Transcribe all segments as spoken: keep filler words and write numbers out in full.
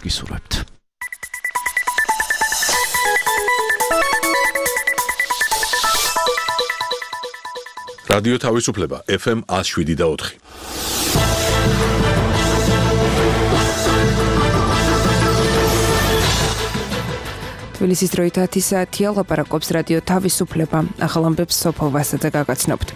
გისურვებთ. რადიო თავისუფლება ეფ ემ one oh seven და four. თბილისის დროით ათი საათია, ლაპარაკობს რადიო თავისუფლება. ახალ ამბებს სოფო ვასაძე გაგაცნობთ.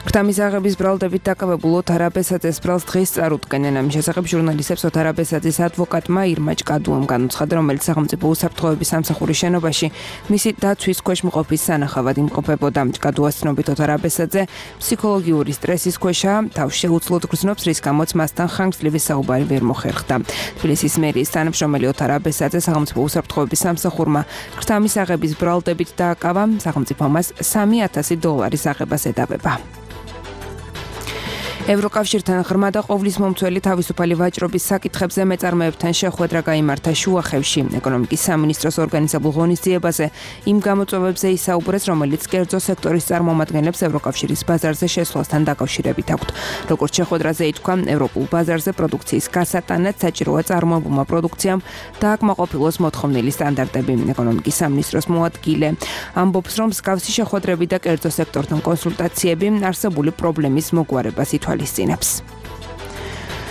ქრთამისაღების ბრალდებით დაკავებულ ოთარ აბესაძეს ბრალს დღეს წარუდგენენ. ამის შესახებ ჟურნალისტებს ოთარ აბესაძის ადვოკატმა ირმა ჭკადუამ განუცხადა, რომელიც სახელმწიფო უსაფრთხოების სამსახურის შენობაში მისი დაცვის ქვეშ მყოფის სანახავად იმყოფებოდა. ჭკადუას ცნობით ოთარ აბესაძე ფსიქოლოგიური სტრესის ქვეშაა, თავს შეუძლოდ გრძნობს, რის გამოც მასთან ხანგრძლივი საუბარი ვერ მოხერხდა. თბილისის მერიის თანამშრომელი ოთარ აბესაძე სახელმწიფო უსაფრთხოების სამსახურმა ქრთამისაღების ბრალდებით დააკავა, სახელმწიფო მას სამი ათასი დოლარის აღებას ედავება. ევროკავშირთან ღრმა და ყოვლის მომცველი თავისუფალი ვაჭრობის საკითხებზე მეწარმეებთან შეხვედრა გაიმართა შუახევში. ეკონომიკის სამინისტროს ორგანიზებულ ღონისძიებაზე იმ გამოწვევებზე ისაუბრეს, რომელიც კერძო სექტორის წარმომადგენლებს ევროკავშირის ბაზარზე შესვლასთან დაკავშირებით აქვთ. როგორც შეხვედრაზე ითქვა, ევროპულ ბაზარზე პროდუქციის გასატანად საჭიროა წარმოებულმა პროდუქციამ დააკმაყოფილოს მოთხოვნილი სტანდარტები. ეკონომიკის სამინისტროს მოადგილე ამბობს, რომ მსგავსი შეხვედრები და კერძო სექტორთან კონსულტაციები არსებული პრობლემის მოგვარებას ითვალისწინებს.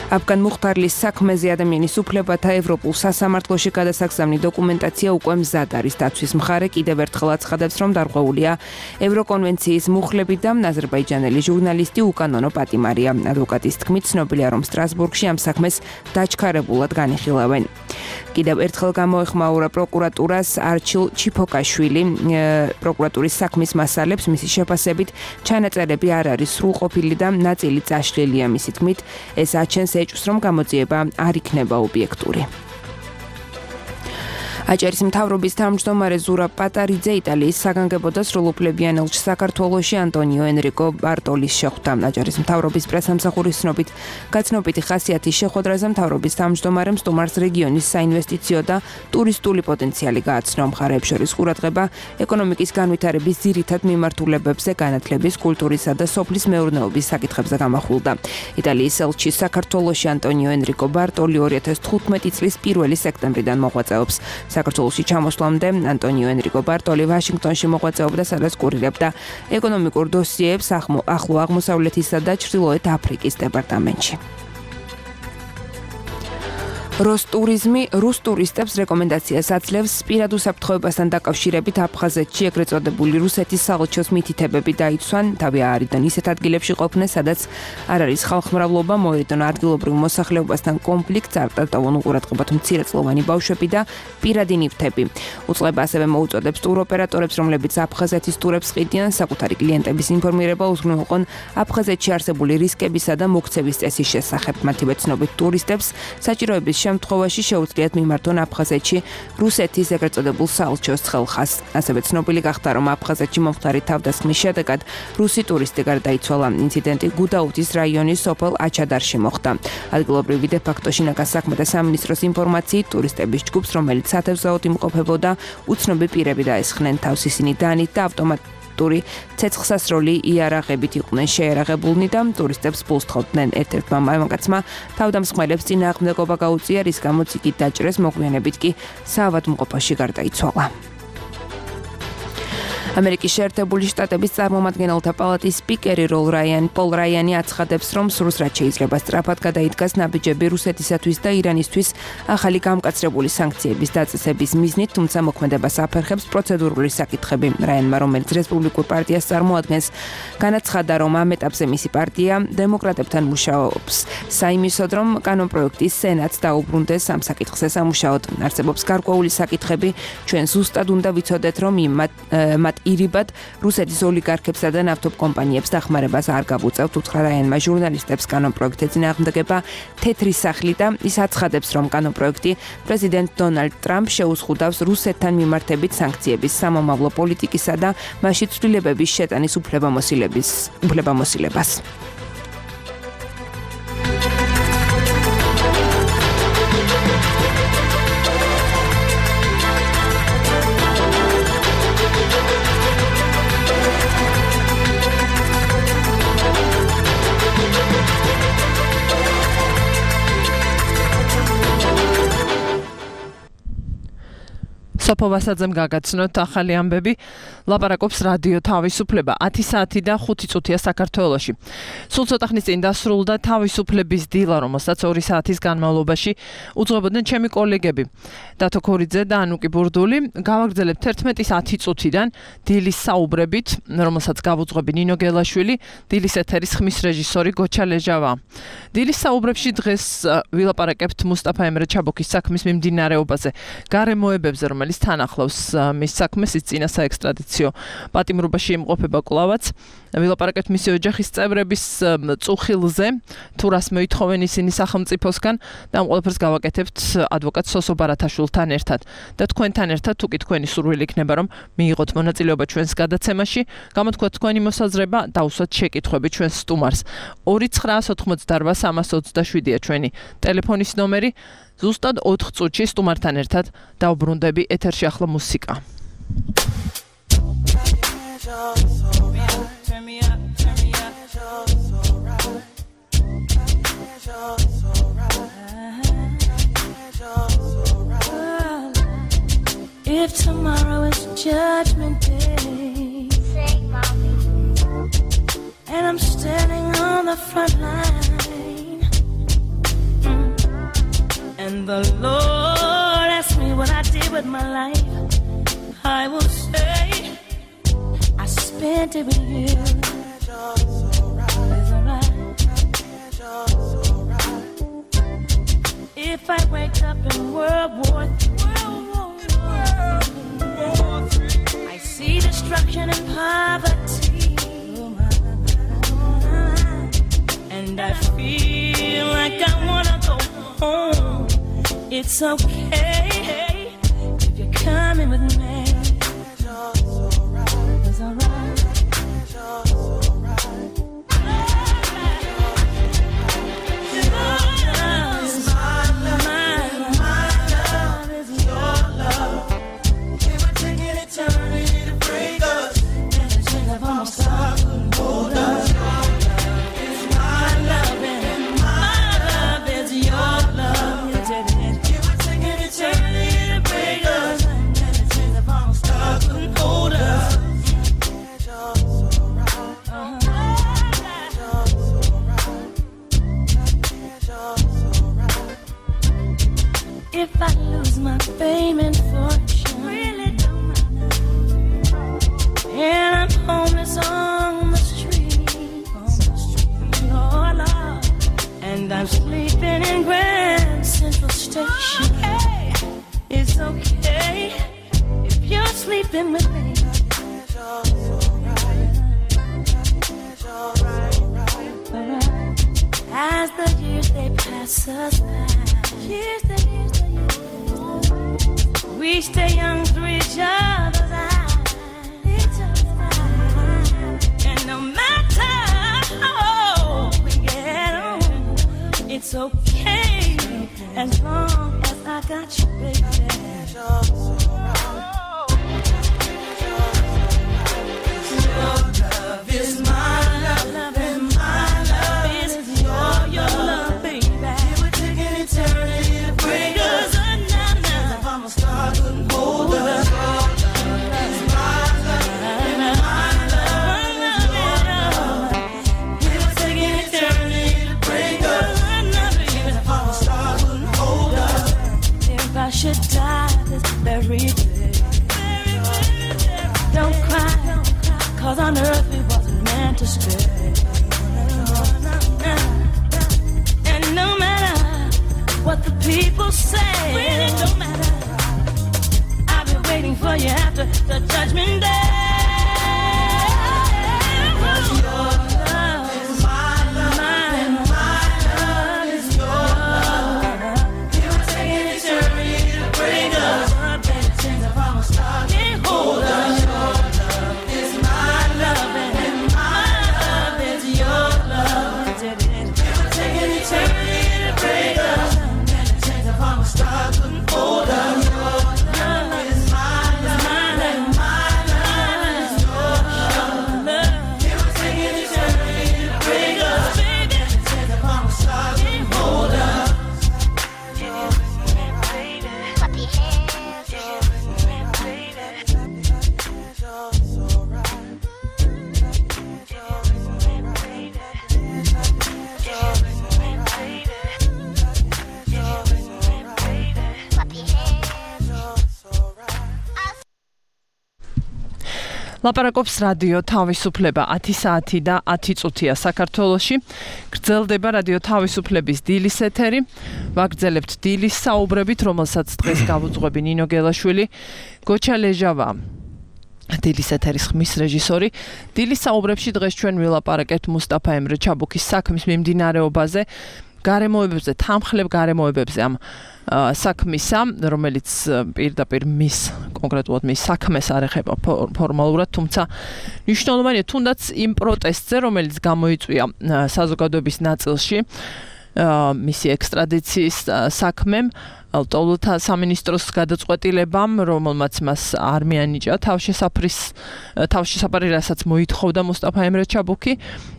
აფგან მუხტარლის საქმეზე ადამიანის უფლებათა ევროპულ სასამართლოში გადასაგზავნი დოკუმენტაცია უკვე მზად არის. დაცვის მხარე კიდევ ერთხელ აცხადებს, რომ დარღვეულია ევროკონვენციის მუხლები და აზერბაიჯანელი ჟურნალისტი უკანონო პატიმარია. ადვოკატის თქმით, ცნობილია, რომ სტრასბურგში ამ საქმეს დაჩქარებულად განიხილავენ. კიდევ ერთხელ გამოეხმაურა პროკურატურას არჩილ ჩიფოკაშვილი. პროკურატურის საქმის მასალებს მისი შეფასებით ჩანაწერები არ არის სრულყოფილი და ნაწილი წაშლილია. მისი თქმით, ეს აჩენს ეჭვს, რომ გამოძიება არ იქნება ობიექტური. აჭარის მთავრობის თავმჯდომარე ზურა პატარიძე იტალიის საგანგებო და სრულუფლებიან ელჩს საქართველოში ანტონიო ენრიკო ბარტოლის შეხვდა. აჭარის მთავრობის პრესამსახურის ცნობით, გაცნობიტი ხასიათის შეხვედრაზე მთავრობის თავმჯდომარემ სტუმარს რეგიონის საინვესტიციო და ტურისტული პოტენციალი გააცნო. მხარეებს შორის ყურადღება ეკონომიკის განვითარების ძირითად მიმართულებებზე, განათლების, კულტურისა და სოფლის მეურნეობის საკითხებზე გამახვილდა. იტალიის ელჩი საქართველოში ანტონიო ენრიკო ბარტოლი ორი ათას თხუთმეტი წლის პირველი სექტემბრიდან მოღვაწეობს. საქართველოში ჩამოსვლამდე ანტონიო ენრიკო ბარტოლი ვაშინგტონში მოღვაწეობდა, სადაც კურირებდა ეკონომიკურ დოსიეებს ახლო აღმოსავლეთისა და ჩრდილოეთ აფრიკის დეპარტამენტში. როსტურიზმი რუს ტურისტებს რეკომენდაციას აძლევს პირად უსაფრთხოებასთან დაკავშირებით აფხაზეთში ეგრეთ წოდებული რუსეთის საელჩოს მითითებები დაიცვან, თავი აარიდან ისეთ ადგილებში ყოფნეს, სადაც არ არის ხალხმრავლობა, მოერიდონ ადგილობრივ მოსახლეობასთან კონფლიქტს, არ დატოვონ უყურადღებად მცირეწლოვანი ბავშვები და პირადი ნივთები. უწყება ასევე მოუწოდებს ტუროპერატორებს, რომლებიც აფხაზეთის ტურებს ყიდიან, საკუთარი კლიენტების ინფორმირება უზრუნველყონ აფხაზეთში არსებული რისკებისა და მოქცევის წესის შესახებ. მათივე ცნობით ტურისტებს საჭიროების შემთხვევაში შეუძლიათ მიმართონ აფხაზეთში რუსეთის ეგრეთ წოდებულ საელჩოს ცხელხას. ასევე ცნობილი გახდა, რომ აფხაზეთში მომხდარი თავდასხმის შედეგად რუსი ტურისტი გარდაიცვალა. ინციდენტი გუდაუთის რაიონის სოფელ აჩადარში მოხდა. ადგილობრივი დე-ფაქტო შინაგან საქმეთა სამინისტროს ინფორმაციით, ტურისტების ჯგუფს, რომელიც სათევზაოდ იმყოფებოდა, უცნობი პირები დაესხნენ თავს. ისინი დანით და ავტომატ ცეცხლსასროლი იარაღებით იყვნენ შეერაღებულნი და ტურისტებს ფულს თხოვდნენ. ერთ-ერთმა მამაკაცმა თავდამსხმელებს წინააღმდეგობა გაუწია, რის გამოც იგი დაჭრეს, მოგვიანებით კი საავადმყოფოში გარდაიცვალა. ამერიკის შეერთებული შტატების წარმომადგენელთა პალატის სპიკერი როლ რაიან პოლ რაიანი აცხადებს, რომ სრულს რაც შეიძლება სწრაფად გადაიდგას ნაბიჯები რუსეთისათვის და ირანისთვის ახალი გამკაცრებული სანქციების დაწესების მიზნით, თუმცა მოქმედებას აფერხებს პროცედურული საკითხები. რაიანმა, რომელიც რესპუბლიკურ პარტიას წარმოადგენს, განაცხადა, რომ ამ ეტაპზე მისი პარტია დემოკრატებთან მუშაობს საიმისოდ, რომ კანონპროექტის სენატს დაუბრუნდეს ამ საკითხზე სამუშაოდ. არსებობს გარკვეული საკითხები, ჩვენ ზუსტად უნდა ვიცოდეთ, რომ მათ ირიბად რუსეთის ოლიგარქებსა და ნავთობკომპანიებს დახმარებას არ გავუწევთ, უთხრა რაიანმა ჟურნალისტებს. კანონპროექტზე წინააღმდეგება თეთრი სახლი და ის აცხადებს, რომ კანონპროექტი პრეზიდენტ დონალდ ტრამპს შეუზღუდავს რუსეთთან მიმართებით სანქციების, სამომავლო პოლიტიკისა და მასში ცვლილებების შეტანის უფლებამოსილებას. სოფო ვასაძემ გაგაცნოთ ახალი ამბები. ლაპარაკობს რადიო თავისუფლება. ათი საათი და ხუთი წუთია საქართველოში. სულ ცოტა ხნის წინ დასრულდა თავისუფლების დილა, რომელსაც ორი საათის განმავლობაში უძღვებოდნენ ჩემი კოლეგები. დათო ქორიძე და ანუკი ბურდული. გავაგრძელებთ ერთმეტის ათი წუთიდან დილის საუბრებით, რომელსაც გავუძღვები ნინო გელაშვილი, დილის ეთერის ხმის რეჟისორი გოჩა ლეჟავა. დილის საუბრებში დღეს ვილაპარაკებთ მუსტაფა ემრე ჩაბოქის საქმის მიმდინარეობაზე, გარემოებებზე, რომელიც თან ახლავს მის საქმეს, ის წინა საექსტრადიციო პატიმრობაში იმყოფება კვლავაც. ვილაპარაკებთ მისი ოჯახის წევრების წუხილზე, თუ რას მოითხოვენ ისინი სახელმწიფოსგან და ამ ყველაფერს გავაკეთებთ ადვოკატ სოსო ბარათაშვილთან ერთად. და თქვენთან ერთად, თუ კი თქვენი სურვილი იქნება, რომ მიიღოთ მონაწილეობა ჩვენს გადაცემაში, გამოთქვათ თქვენი მოსაზრება, დაუსვათ შეკითხვები ჩვენს სტუმარს. ორი ცხრა ოთხმოცდაოთხ სამას ოცდაშვიდია ჩვენი ტელეფონის ნომერი. ზუსტად ოთხ წუთში სტუმართან ერთად დავბრუნდები, ეთერში ახლა მუსიკა. If tomorrow is judgment day, say, mommy, and I'm standing on the front line, mm, and the Lord asks me what I did with my life, I will say I spent it with you. It's alright. If I wake up in World War Three, I see destruction and poverty, and I feel like I wanna go home. It's okay if you're coming with me. It's alright. If I lose my fame and fortune, really don't matter, and I'm homeless on the street, on the street, oh Lord, and I'm sleeping in Grand Central Station. Okay. It's okay if you're sleeping with me. As the years they pass us by, years they years they years, we stay young through each other's eyes, each other's eyes. And no matter how old we get on, it's okay as long as I got you, baby. Your love is my love, love and my love is your, your love, baby. It would take an eternity to break us. If I'm a star, couldn't hold us. Your love is my love, and my love is your love. It would take an eternity to break us. If I'm a star, couldn't hold us. If I should die this very day, don't cry, cause on earth we wasn't meant to stay. And no matter what the people say, really don't matter, I'll be waiting for you after the judgment day. Cause your love is my love, and my love is your love. It would take an eternity to break us. Since if I'm a star, can't hold us. Your love is my love, and my love is your love. It would take an eternity to break us. Since if I'm a star, couldn't hold us. Your love is my love, and my love. ლაპარაკობს რადიო თავისუფლება ათი საათი და ათი წუთია საქართველოში. გრძელდება რადიო თავისუფლების დილის ეთერი. ვაგრძელებთ დილის საუბრებით, რომელსაც დღეს გავუძღვები ნინო გელაშვილი, გოჩა ლეჟავა. დილის ეთერის ხმის რეჟისორი. დილის საუბრებში დღეს ჩვენ ვილაპარაკებთ მუსტაფა ემრე ჩაბუქის საქმის მიმდინარეობაზე, გარემოებებზე, თანმხლებ გარემოებებზე ამ საქმისა, რომელიც პირდაპირ მის კონკრეტულად მის საქმეს არ ეხება ფორმალურად, თუმცა მნიშვნელოვანია თუნდაც იმ პროტესტზე, რომელიც გამოიწვია საზოგადოების ნაწილში მისი ექსტრადიციის საქმემ, ლტოლთა სამინისტროს გადაწყვეტილებამ, რომელმაც მას არ მიანიჭა თავშესაფრის თავშესაფარი, რასაც მოითხოვდა მუსტაფა ემრე ჩაბუქი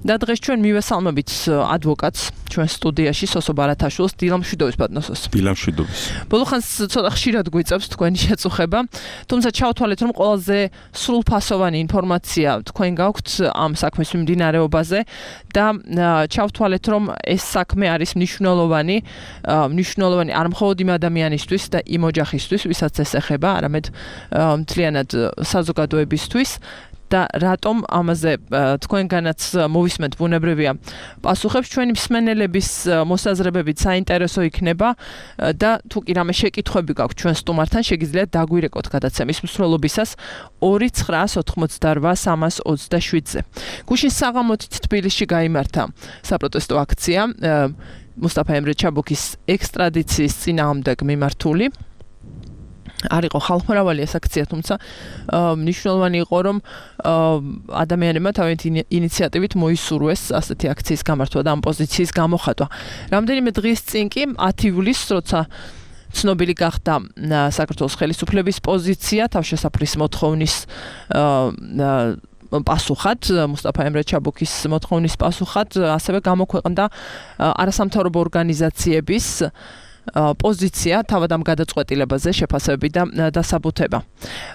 და დღეს ჩვენ მივესალმებით ადვოკატს ჩვენ სტუდიაში სოსო ბარათაშვილს, დილამ შვიდობის ბატონოს. დილამ შვიდობის. ბოლოხანს ცოტა ხშირად გვიწევს თქვენი შეწუხება, თუმცა ჩავთვალეთ, რომ ყველაზე სრულფასოვანი ინფორმაცია თქვენ გაქვთ ამ საქმის მიმდინარეობაზე და ჩავთვალეთ, რომ ეს საქმე არის მნიშვნელოვანი, მნიშვნელოვანი არ მხოლოდ იმ ადამიანისთვის და იმ ოჯახისთვის, ვისაც ეს ეხება, არამედ მთლიანად საზოგადოებისთვის და რატომ ამაზე თქვენგანაც მოვისმენთ ბუნებრივია პასუხებს, ჩვენი მსმენელების მოსაზრებებით საინტერესო იქნება და თუ კი რამე შეკითხვები გაქვთ ჩვენ სტუმართან, შეგიძლიათ დაგვირეკოთ გადაცემის მსვლელობისას ორი ცხრაას ოთხმოცდარვა სამას ოცდაშვიდზე. გუშინ საღამოთით თბილისში გაიმართა საპროტესტო აქცია მუსტაფა ემრე ჩაბუქის ექსტრადიციის წინააღმდეგ მიმართული. არ იყო ხალხმრავალი ეს აქცია, თუმცა მნიშვნელოვანი იყო, რომ ადამიანებმა თავიანთი ინიციატივით მოისურვეს ასეთი აქციის გამართვა და ამ პოზიციის გამოხატვა. რამდენიმე დღის წინ კი ათი ივლისს, როცა ცნობილი გახდა საქართველოს ხელისუფლების პოზიცია თავშესაფრის მოთხოვნის პასუხად, მუსტაფა ემრე ჩაბუქის მოთხოვნის პასუხად, ასევე გამოქვეყნდა არასამთავრობო ორგანიზაციების პოზიცია თავად ამ გადაწყვეტილებაზე შეფასებები და დასაბუთება.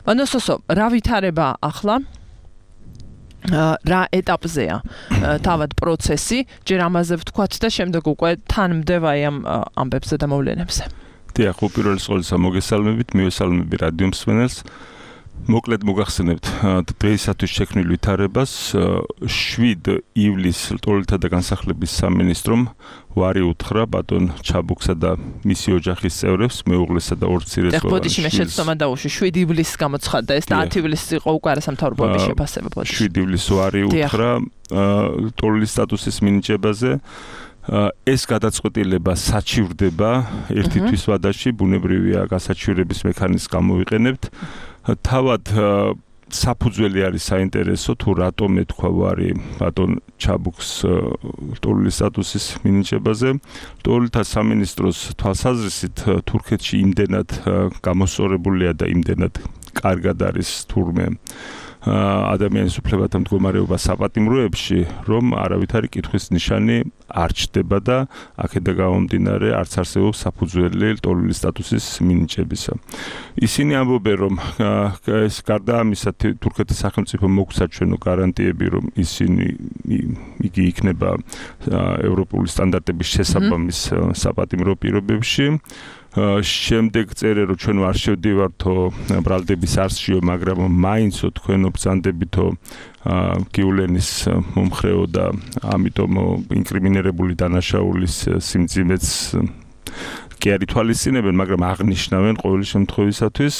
ბანოსოსო, რა ვითარება ახლა? რა ეტაპზეა თავად პროცესი? ჯერ ამაზე ვთქვათ და შემდეგ უკვე თან მდევაი ამ ამბებზე და მოვლენებზე. დიახ, უპირველეს ყოვლისა მოგესალმებით, მივესალმები რადიო მსმენელს. მოკლედ მოგახსენებთ დღეისათვის შექმნილ ვითარებას. შვიდ ივლისს ლტოლთა და განსახლების სამინისტრომ ვარი უთხრა ბატონ ჩაბუქსა და მისი ოჯახის წევრებს, მეუღლესა და ორ მცირეწლოვან შვილს. ბოდიში მე შეცდომა დაუშვი, შვიდ ივლისს გამოცხადდა ეს და ათი ივლისს იყო უკვე არასამთავრობოების შეფასება ბოდიში. შვიდ ივლისს ვარი უთხრა ლტოლის სტატუსის მინიჭებაზე. ეს გადაწყვეტილება საჩივრდება ერთი თვის ვადაში, ბუნებრივია გასაჩივრების მექანიზმს გამოვიყენებთ. თავად საფუძველი არის საინტერესო, თუ რატომ ეთქვა ვარი ბატონ ჩაბუქს ლტოლის სტატუსის მინიჭებაზე. ლტოლთა სამინისტროს თვალსაზრისით თურქეთში იმდენად გამოსწორებულია და იმდენად კარგად არის თურმე ადამიანის უფლებათა მდგომარეობა საპატიმროებში, რომ არავითარი კითხვის ნიშანი არ ჩდება და აქედან გამომდინარე არც არსებობს საფუძველი ლტოლვილის სტატუსის მინიჭებისა. ისინი ამბობენ, რომ ეს გარდა ამისა თურქეთის სახელმწიფო მოგცა ჩვენო გარანტიები, რომ ისინი იგი იქნება ევროპული სტანდარტების შესაბამის საპატიმრო პირობებში. შემდეგ წერე, რომ ჩვენ არ შევდივართო ბრალდების არსშიო, მაგრამ მაინცო თქვენო ბრძანდებითო გიულენის მომხრეო და ამიტომ ინკრიმინირებული დანაშაულის სიმძიმეც კი არ ითვალისწინებენ, მაგრამ აღნიშნავენ ყოველი შემთხვევისათვის.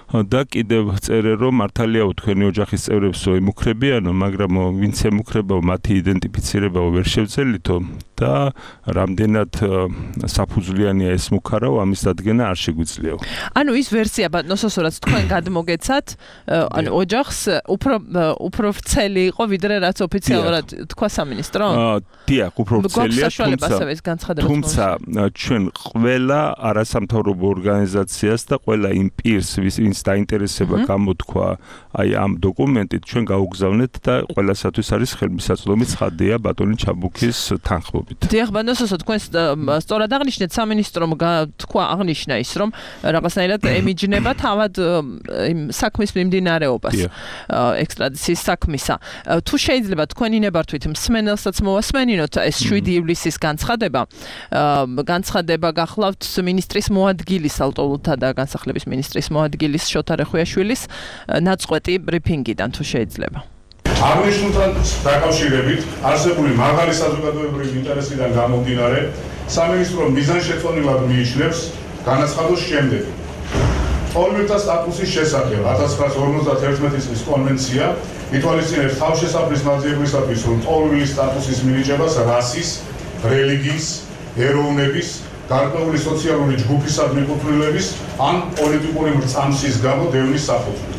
და კიდევ წერე, რომ მართალიაო თქვენი ოჯახის წევრებსო ემუქრებიანო, მაგრამ ვინც ემუქრებაო, მათი იდენტიფიცირებაო ვერ შევძელითო და რამდენად საფუძვლიანია ეს მუქარაო, ამის დადგენა არ შეგვიძლიაო. ანუ ის ვერსია ბატონოსო, რაც თქვენ გადმოგეცათ, ანუ ოჯახს უფრო უფრო ვრცელი იყო, ვიდრე რაც ოფიციალურად თქვა სამინისტრო? დიახ, უფრო ვრცელია, თუმცა ჩვენ ყველა არასამთავრობო ორგანიზაციას და ყველა იმ პირს, ვინც დაინტერესება გამოთქვა აი ამ დოკუმენტით, ჩვენ გაუგზავნეთ და ყველასათვის არის ხელმისაწვდომი ცხადია ბატონი ჩაბუქის თანხმობა. დაკავშირებით. დიახ, ბანდოსოსო, თქვენ სწორად აღნიშნეთ, სამინისტრომ თქვა აღნიშნა ის, რომ რაღაცნაირად ემიჯნება თავად იმ საქმის მიმდინარეობას, ექსტრადიციის საქმისა. თუ შეიძლება თქვენი ნებართვით მსმენელსაც მოვასმენინოთ ეს შვიდი ივლისის განცხადება, განცხადება გახლავთ მინისტრის მოადგილის, ალტოლთა და განსახლების მინისტრის მოადგილის შოთა რეხვიაშვილის ნაწყვეტი ბრიფინგიდან, თუ შეიძლება. აღნიშნულთან დაკავშირებით არსებული მაღალი საზოგადოებრივი ინტერესიდან გამომდინარე, სამინისტრო მიზანშეწონილად მიიჩნევს განაცხადოს შემდეგი. ორ-თა სტატუსის შესახებ ათას ცხრაასი ორმოცდაათი წლის კონვენცია ითვალისწინებს თავშესაფრის მაძიებლისათვის, რომ ყოველის სტატუსის მინიჭებას რასის, რელიგიის, ეროვნების, გარკვეული სოციალური ჯგუფის ადმიკუთვნილების ან პოლიტიკური მრწამსის გამო დევნის საფუძვლით.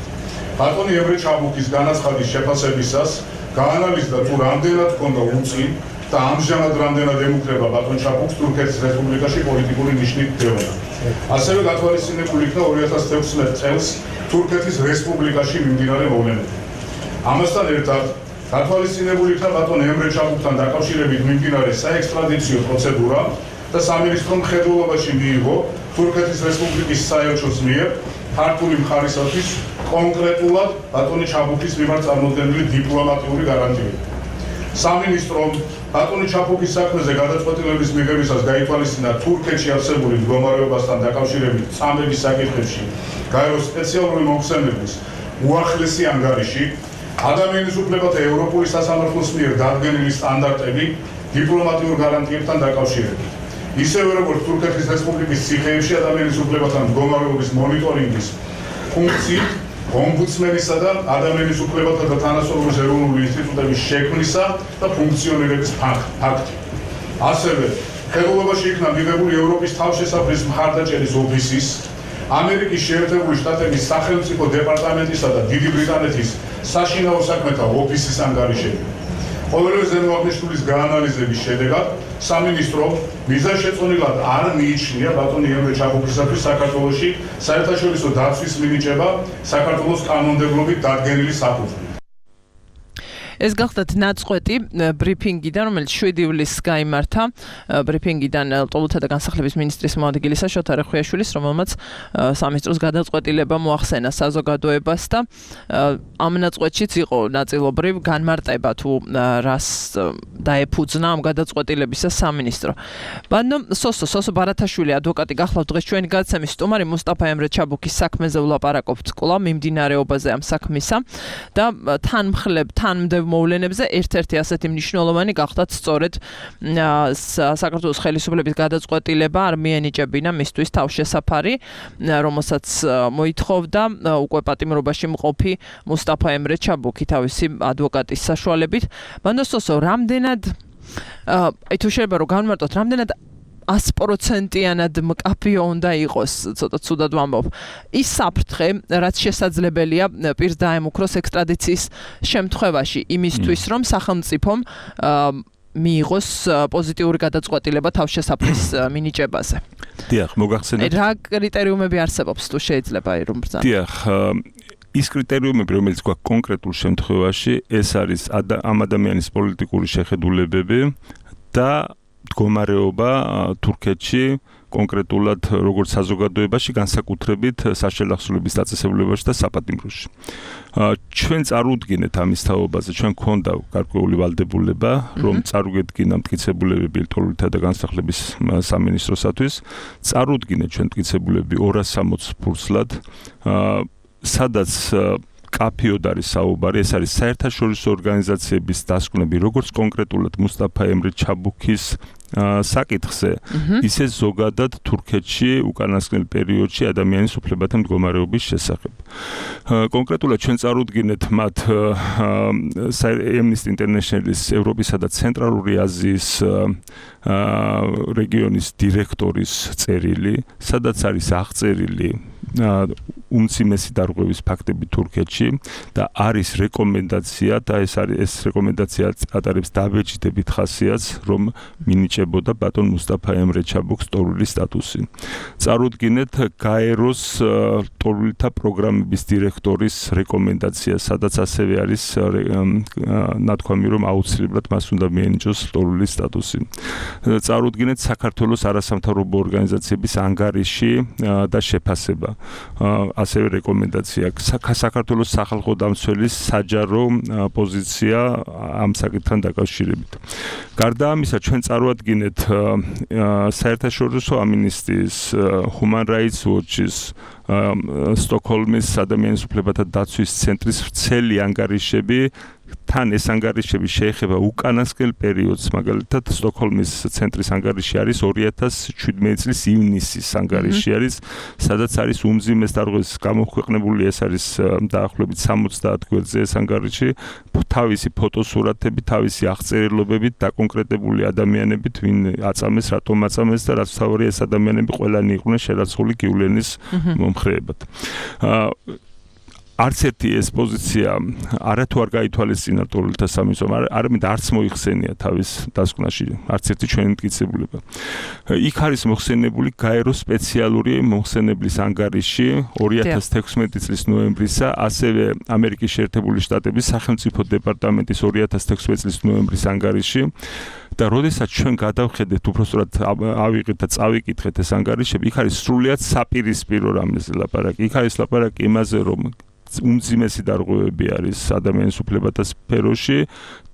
ბატონი ემრე ჩაბუქის განაცხადის შეფასებისას გაანალიზდა თუ რამდენად ჰქონდა უწინ და ამჟამად რამდენად ემუქრება ბატონ ჩაბუქს თურქეთის რესპუბლიკაში პოლიტიკური ნიშნით დევნა. ასევე გათვალისწინებული იქნა ორი ათას თექვსმეტ წელს თურქეთის რესპუბლიკაში მიმდინარე მოვლენები. ამასთან ერთად გათვალისწინებული იქნა ბატონ ემრე ჩაბუქთან დაკავშირებით მიმდინარე საექსტრადიციო პროცედურა და სამინისტრომ მხედველობაში მიიღო თურქეთის რესპუბლიკის საელჩოს მიერ ქართული მხარისათვის კონკრეტულად ბატონი ჩაბუქის მიმართ წარმოდგენილი დიპლომატიური გარანტიები. სამინისტრომ ბატონი ჩაბუქის საქმეზე გადაწყვეტილების მიღებისას გაითვალისწინა თურქეთში არსებული მდგომარეობასთან დაკავშირებით წამების საკითხებში გაერო სპეციალური მომხსენებლის უახლესი ანგარიში, ადამიანის უფლებათა ევროპული სასამართლოს მიერ დადგენილი სტანდარტები დიპლომატიურ გარანტიებთან დაკავშირებით. ისევე როგორც თურქეთის რესპუბლიკის ციხეებში ადამიანის უფლებათა მდგომარეობის მონიტორინგის ფუნქციით ომბუდსმენისა და ადამიანის უფლებათა და თანასწორობის ეროვნული ინსტიტუტების შექმნისა და ფუნქციონირების ფაქტი. ასევე ხელოვნებაში იქნა მიღებული ევროპის თავშესაფრის მხარდაჭერის ოფისის, ამერიკის შეერთებული შტატების სახელმწიფო დეპარტამენტისა და დიდი ბრიტანეთის საშინაო საქმეთა ოფისის ანგარიშები. ყოველივე ზემოაღნიშნულის გაანალიზების შედეგად სამინისტრო მიზანშეწონილად არ მიიჩნია ბატონი ემრე ჩაბუქისათვის საქართველოში საერთაშორისო დაცვის მინიჭება საქართველოს კანონმდებლობით დადგენილი საფუძვლით. ეს გახლავთ ნაწყვეტი ბრიფინგიდან, რომელიც შვიდი ივლისს გაიმართა, ბრიფინგიდან ლტოლთა და განსახლების მინისტრის მოადგილისა შოთა რეხვიაშვილის, რომელმაც სამინისტროს გადაწყვეტილება მოახსენა საზოგადოებას და ამ ნაწყვეტშიც იყო ნაწილობრივ განმარტება თუ რას დაეფუძნა ამ გადაწყვეტილებისა სამინისტრო. ბანო სოსო სოსო ბარათაშვილი ადვოკატი გახლავთ დღეს ჩვენი გადაცემის სტუმარი მუსტაფა ემრე ჩაბუქის საქმეზე ვლაპარაკობთ კვლავ მიმდინარეობაზე ამ საქმისა და თანმხლებ თანმდევ მოვლენებზე ერთ-ერთი ასეთი მნიშვნელოვანი გახლავთ სწორედ საქართველოს ხელისუფლების გადაწყვეტილება არ მიენიჭებინა მისთვის თავშესაფარი, რომელსაც მოითხოვდა უკვე პატიმრობაში მყოფი მუსტაფა ემრე ჩაბუქი თავისი ადვოკატის საშუალებით. ბანდოსოსო, რამდენად აი თუ შეიძლება რომ განმარტოთ, რამდენად ას პროცენტიანად მკაფიო უნდა იყოს, ცოტა ცუდად ვამბობ, ის საფრთხე, რაც შესაძლებელია პირს დაემუქროს ექსტრადიციის შემთხვევაში, იმისთვის, რომ სახელმწიფომ მიიღოს პოზიტიური გადაწყვეტილება თავშესაფრის მინიჭებაზე. დიახ, მოგახსენებთ. რა კრიტერიუმები არსებობს, თუ შეიძლება რომ ბრძანო? დიახ, ის კრიტერიუმები, რომელიც გვაქვს კონკრეტულ შემთხვევაში, ეს არის ამ ადამიანის პოლიტიკური შეხედულებები და მდგომარეობა თურქეთში კონკრეტულად როგორც საზოგადოებაში, განსაკუთრებით საშელახსოვრების დაწესებულებაში და საპატიმროში. ჩვენ წარუდგინეთ ამის თაობაზე, ჩვენ გქონდა გარკვეული ვალდებულება, რომ წარუგედგინა მტკიცებულებები ლტოლვილთა და განსახლების სამინისტროსათვის, წარუდგინეთ ჩვენ მტკიცებულები ორას სამოცი ფურცლად, სადაც კაფიოდ არის საუბარი, ეს არის საერთაშორისო ორგანიზაციების დასკვნები, როგორც კონკრეტულად მუსტაფა ემრე ჩაბუქის საკითხზე, ისე ზოგადად თურქეთში უკანასკნელ პერიოდში ადამიანის უფლებათა მდგომარეობის შესახებ. კონკრეტულად ჩვენ წარუდგინეთ მათ Amnesty International-ის ევროპისა და ცენტრალური აზიის რეგიონის დირექტორის წერილი, სადაც არის აღწერილი უმციმესი დარღვევის ფაქტები თურქეთში და არის რეკომენდაცია და ეს არის ეს რეკომენდაცია ატარებს დაბეჭდებით ხასიათს, რომ მინიჭებოდა ბატონ მუსტაფა ემრე ჩაბუქს ტორულის სტატუსი. წარუდგინეთ გაეროს ტორულთა პროგრამების დირექტორის რეკომენდაცია, სადაც ასევე არის ნათქვამი, რომ აუცილებლად მას უნდა მიენიჭოს ტორულის სტატუსი. წარუდგინეთ საქართველოს არასამთავრობო ორგანიზაციების ანგარიში და შეფასება. ასევე რეკომენდაცია საქართველოს სახალხო დამცველის საჯარო პოზიცია ამ საკითხთან დაკავშირებით. გარდა ამისა, ჩვენ წარუადგინეთ საერთაშორისო ამინისტიის, Human Rights Watch-ის, სტოკჰოლმის ადამიანის უფლებათა დაცვის ცენტრის ვრცელი ანგარიშები თან ეს ანგარიშები შეეხება უკანასკნელ პერიოდს, მაგალითად სტოკჰოლმის ცენტრის ანგარიში არის ორი ათას შვიდმეტი წლის ივნისის ანგარიში არის, სადაც არის უმძიმეს დარღვევის გამოქვეყნებული, ეს არის დაახლოებით სამოცდაათ გვერდზე ეს ანგარიში, თავისი ფოტოსურათებით, თავისი აღწერილობებით დაკონკრეტებული ადამიანებით, ვინ აწამეს, რატომ აწამეს და რაც თავი ეს ადამიანები ყველანი იყვნენ შერაცხული გივლენის მომხრეებად. არც ერთი ეს პოზიცია არათუ არ გაითვალისწინა ტორულთა სამინისტრომ, არამედ არც მოიხსენია თავის დასკვნაში, არც ერთი ჩვენი მტკიცებულება. იქ არის მოხსენებული გაეროს სპეციალური მოხსენებლის ანგარიში ორი ათას თექვსმეტი წლის ნოემბრისა, ასევე ამერიკის შეერთებული შტატების სახელმწიფო დეპარტამენტის ორი ათას თექვსმეტი წლის ნოემბრის ანგარიში. და როდესაც ჩვენ გადავხედეთ, უბრალოდ ავიღეთ და წავიკითხეთ ეს ანგარიშები, იქ არის სრულიად საპირისპირო რამეზე ლაპარაკი. იქ არის ლაპარაკი იმაზე, რომ უმძიმესი დარღვევები არის ადამიანის უფლებათა სფეროში,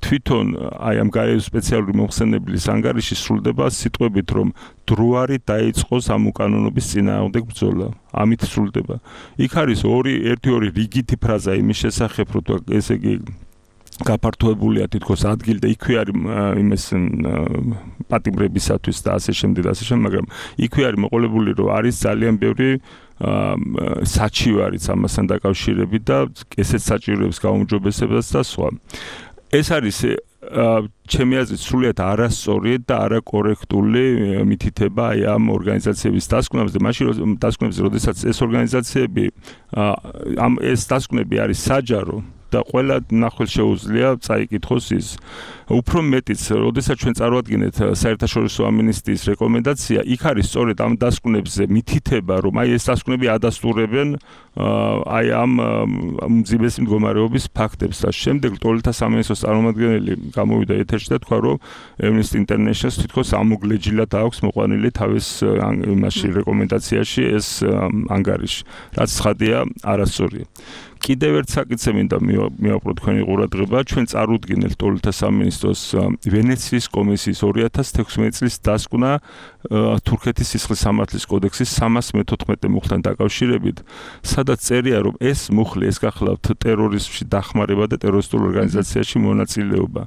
თვითონ აი ამ გაეროს სპეციალური მოხსენებლის ანგარიში სრულდება სიტყვებით, რომ დროარი დაიწყოს ამ უკანონობის წინააღმდეგ ბრძოლა. ამით სრულდება. იქ არის ორი ერთი ორი რიგითი ფრაზა იმის შესახებ, რომ ესე იგი გაფართოებულია თითქოს ადგილი და იქვე არის იმის პატიმრებისათვის და ასე შემდეგ და ასე შემდეგ, მაგრამ იქვე არის მოყოლებული, რომ არის ძალიან ბევრი საჩივარიც ამასთან დაკავშირებით და ესეც საჭიროებს გაუმჯობესებას და სხვა. ეს არის ჩემი აზრით სრულიად არასწორი და არაკორექტული მითითება აი ამ ორგანიზაციების დასკვნებზე, მაშინ დასკვნებზე, როდესაც ეს ორგანიზაციები ამ ეს დასკვნები არის საჯარო და ყველა ნახველს შეუძლია წაიკითხოს ის. უფრო მეტიც, როდესაც ჩვენ წარვადგინეთ საერთაშორისო ამინისტიის რეკომენდაცია, იქ არის სწორედ ამ დასკვნებზე მითითება, რომ აი ეს დასკვნები ადასტურებენ აი ამ უმძიმესი მდგომარეობის ფაქტებს და შემდეგ ტორულთა სამინისტროს წარმომადგენელი გამოვიდა ეთერში და თქვა, რომ Amnesty International-ს თითქოს ამოგლეჯილად აქვს მოყვანილი თავის იმაში რეკომენდაციაში ეს ანგარიში, რაც ცხადია არასწორია. კიდევ ერთ საკითხზე მინდა მივაყრო თქვენი ყურადღება, ჩვენ წარუდგინეთ ტორულთა სამინისტროს ვენეციის კომისიის ორი ათას თექვსმეტი წლის დასკვნა თურქეთის სისხლის სამართლის კოდექსის სამას მეთოთხმეტე მუხლთან დაკავშირებით, სადაც წერია, რომ ეს მუხლი ეს გახლავთ ტერორიზმში დახმარება და ტერორისტულ ორგანიზაციაში მონაწილეობა.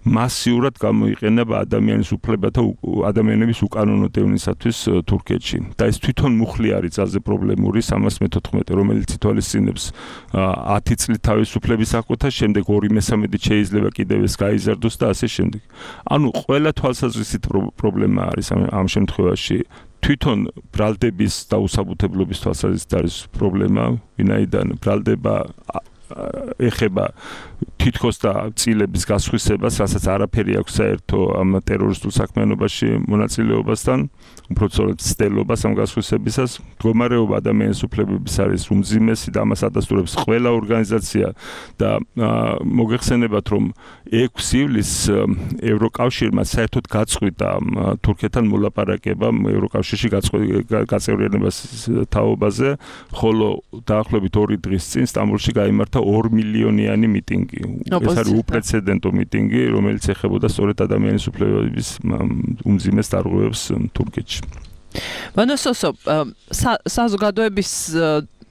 მასიურად გამოიყენება ადამიანის უფლებათა ადამიანების უკანონო დევნისათვის თურქეთში. და ეს თვითონ მუხლი არის ძალზე პრობლემური სამას მეთოთხმეტე, რომელიც ითვალისწინებს ათი წლით თავისუფლების აღკვეთა, შემდეგ ორი მესამედით შეიძლება კიდევ ეს გაიზარდოს და ასე შემდეგ. ანუ ყველა თვალსაზრისით პრობლემა არის ამ შემთხვევაში. თვითონ ბრალდების დაუსაბუთებლობის თვალსაზრისით არის პრობლემა, ვინაიდან ბრალდება ეხება თითქოს და წილების გასხვისებას, რასაც არაფერი აქვს საერთო ამ ტერორისტულ საქმიანობაში მონაწილეობასთან, უფრო სწორედ ცდელობას ამ გასხვისებისას. მდგომარეობა ადამიანის უფლებების არის უმძიმესი და ამას ადასტურებს ყველა ორგანიზაცია და მოგეხსენებათ, რომ ექვსი ივლისს ევროკავშირმა საერთოდ გაწყვიტა თურქეთთან მოლაპარაკება ევროკავშირში გაწევრიანებას თაობაზე, ხოლო დაახლოებით ორი დღის წინ სტამბოლში გაიმართა ორ მილიონიანი მიტინგი. ეს არის უპრეცედენტო მიტინგი, რომელიც ეხებოდა სწორედ ადამიანის უფლებების უმძიმეს დარღვევებს თურქეთში. მანასოსო საზოგადოების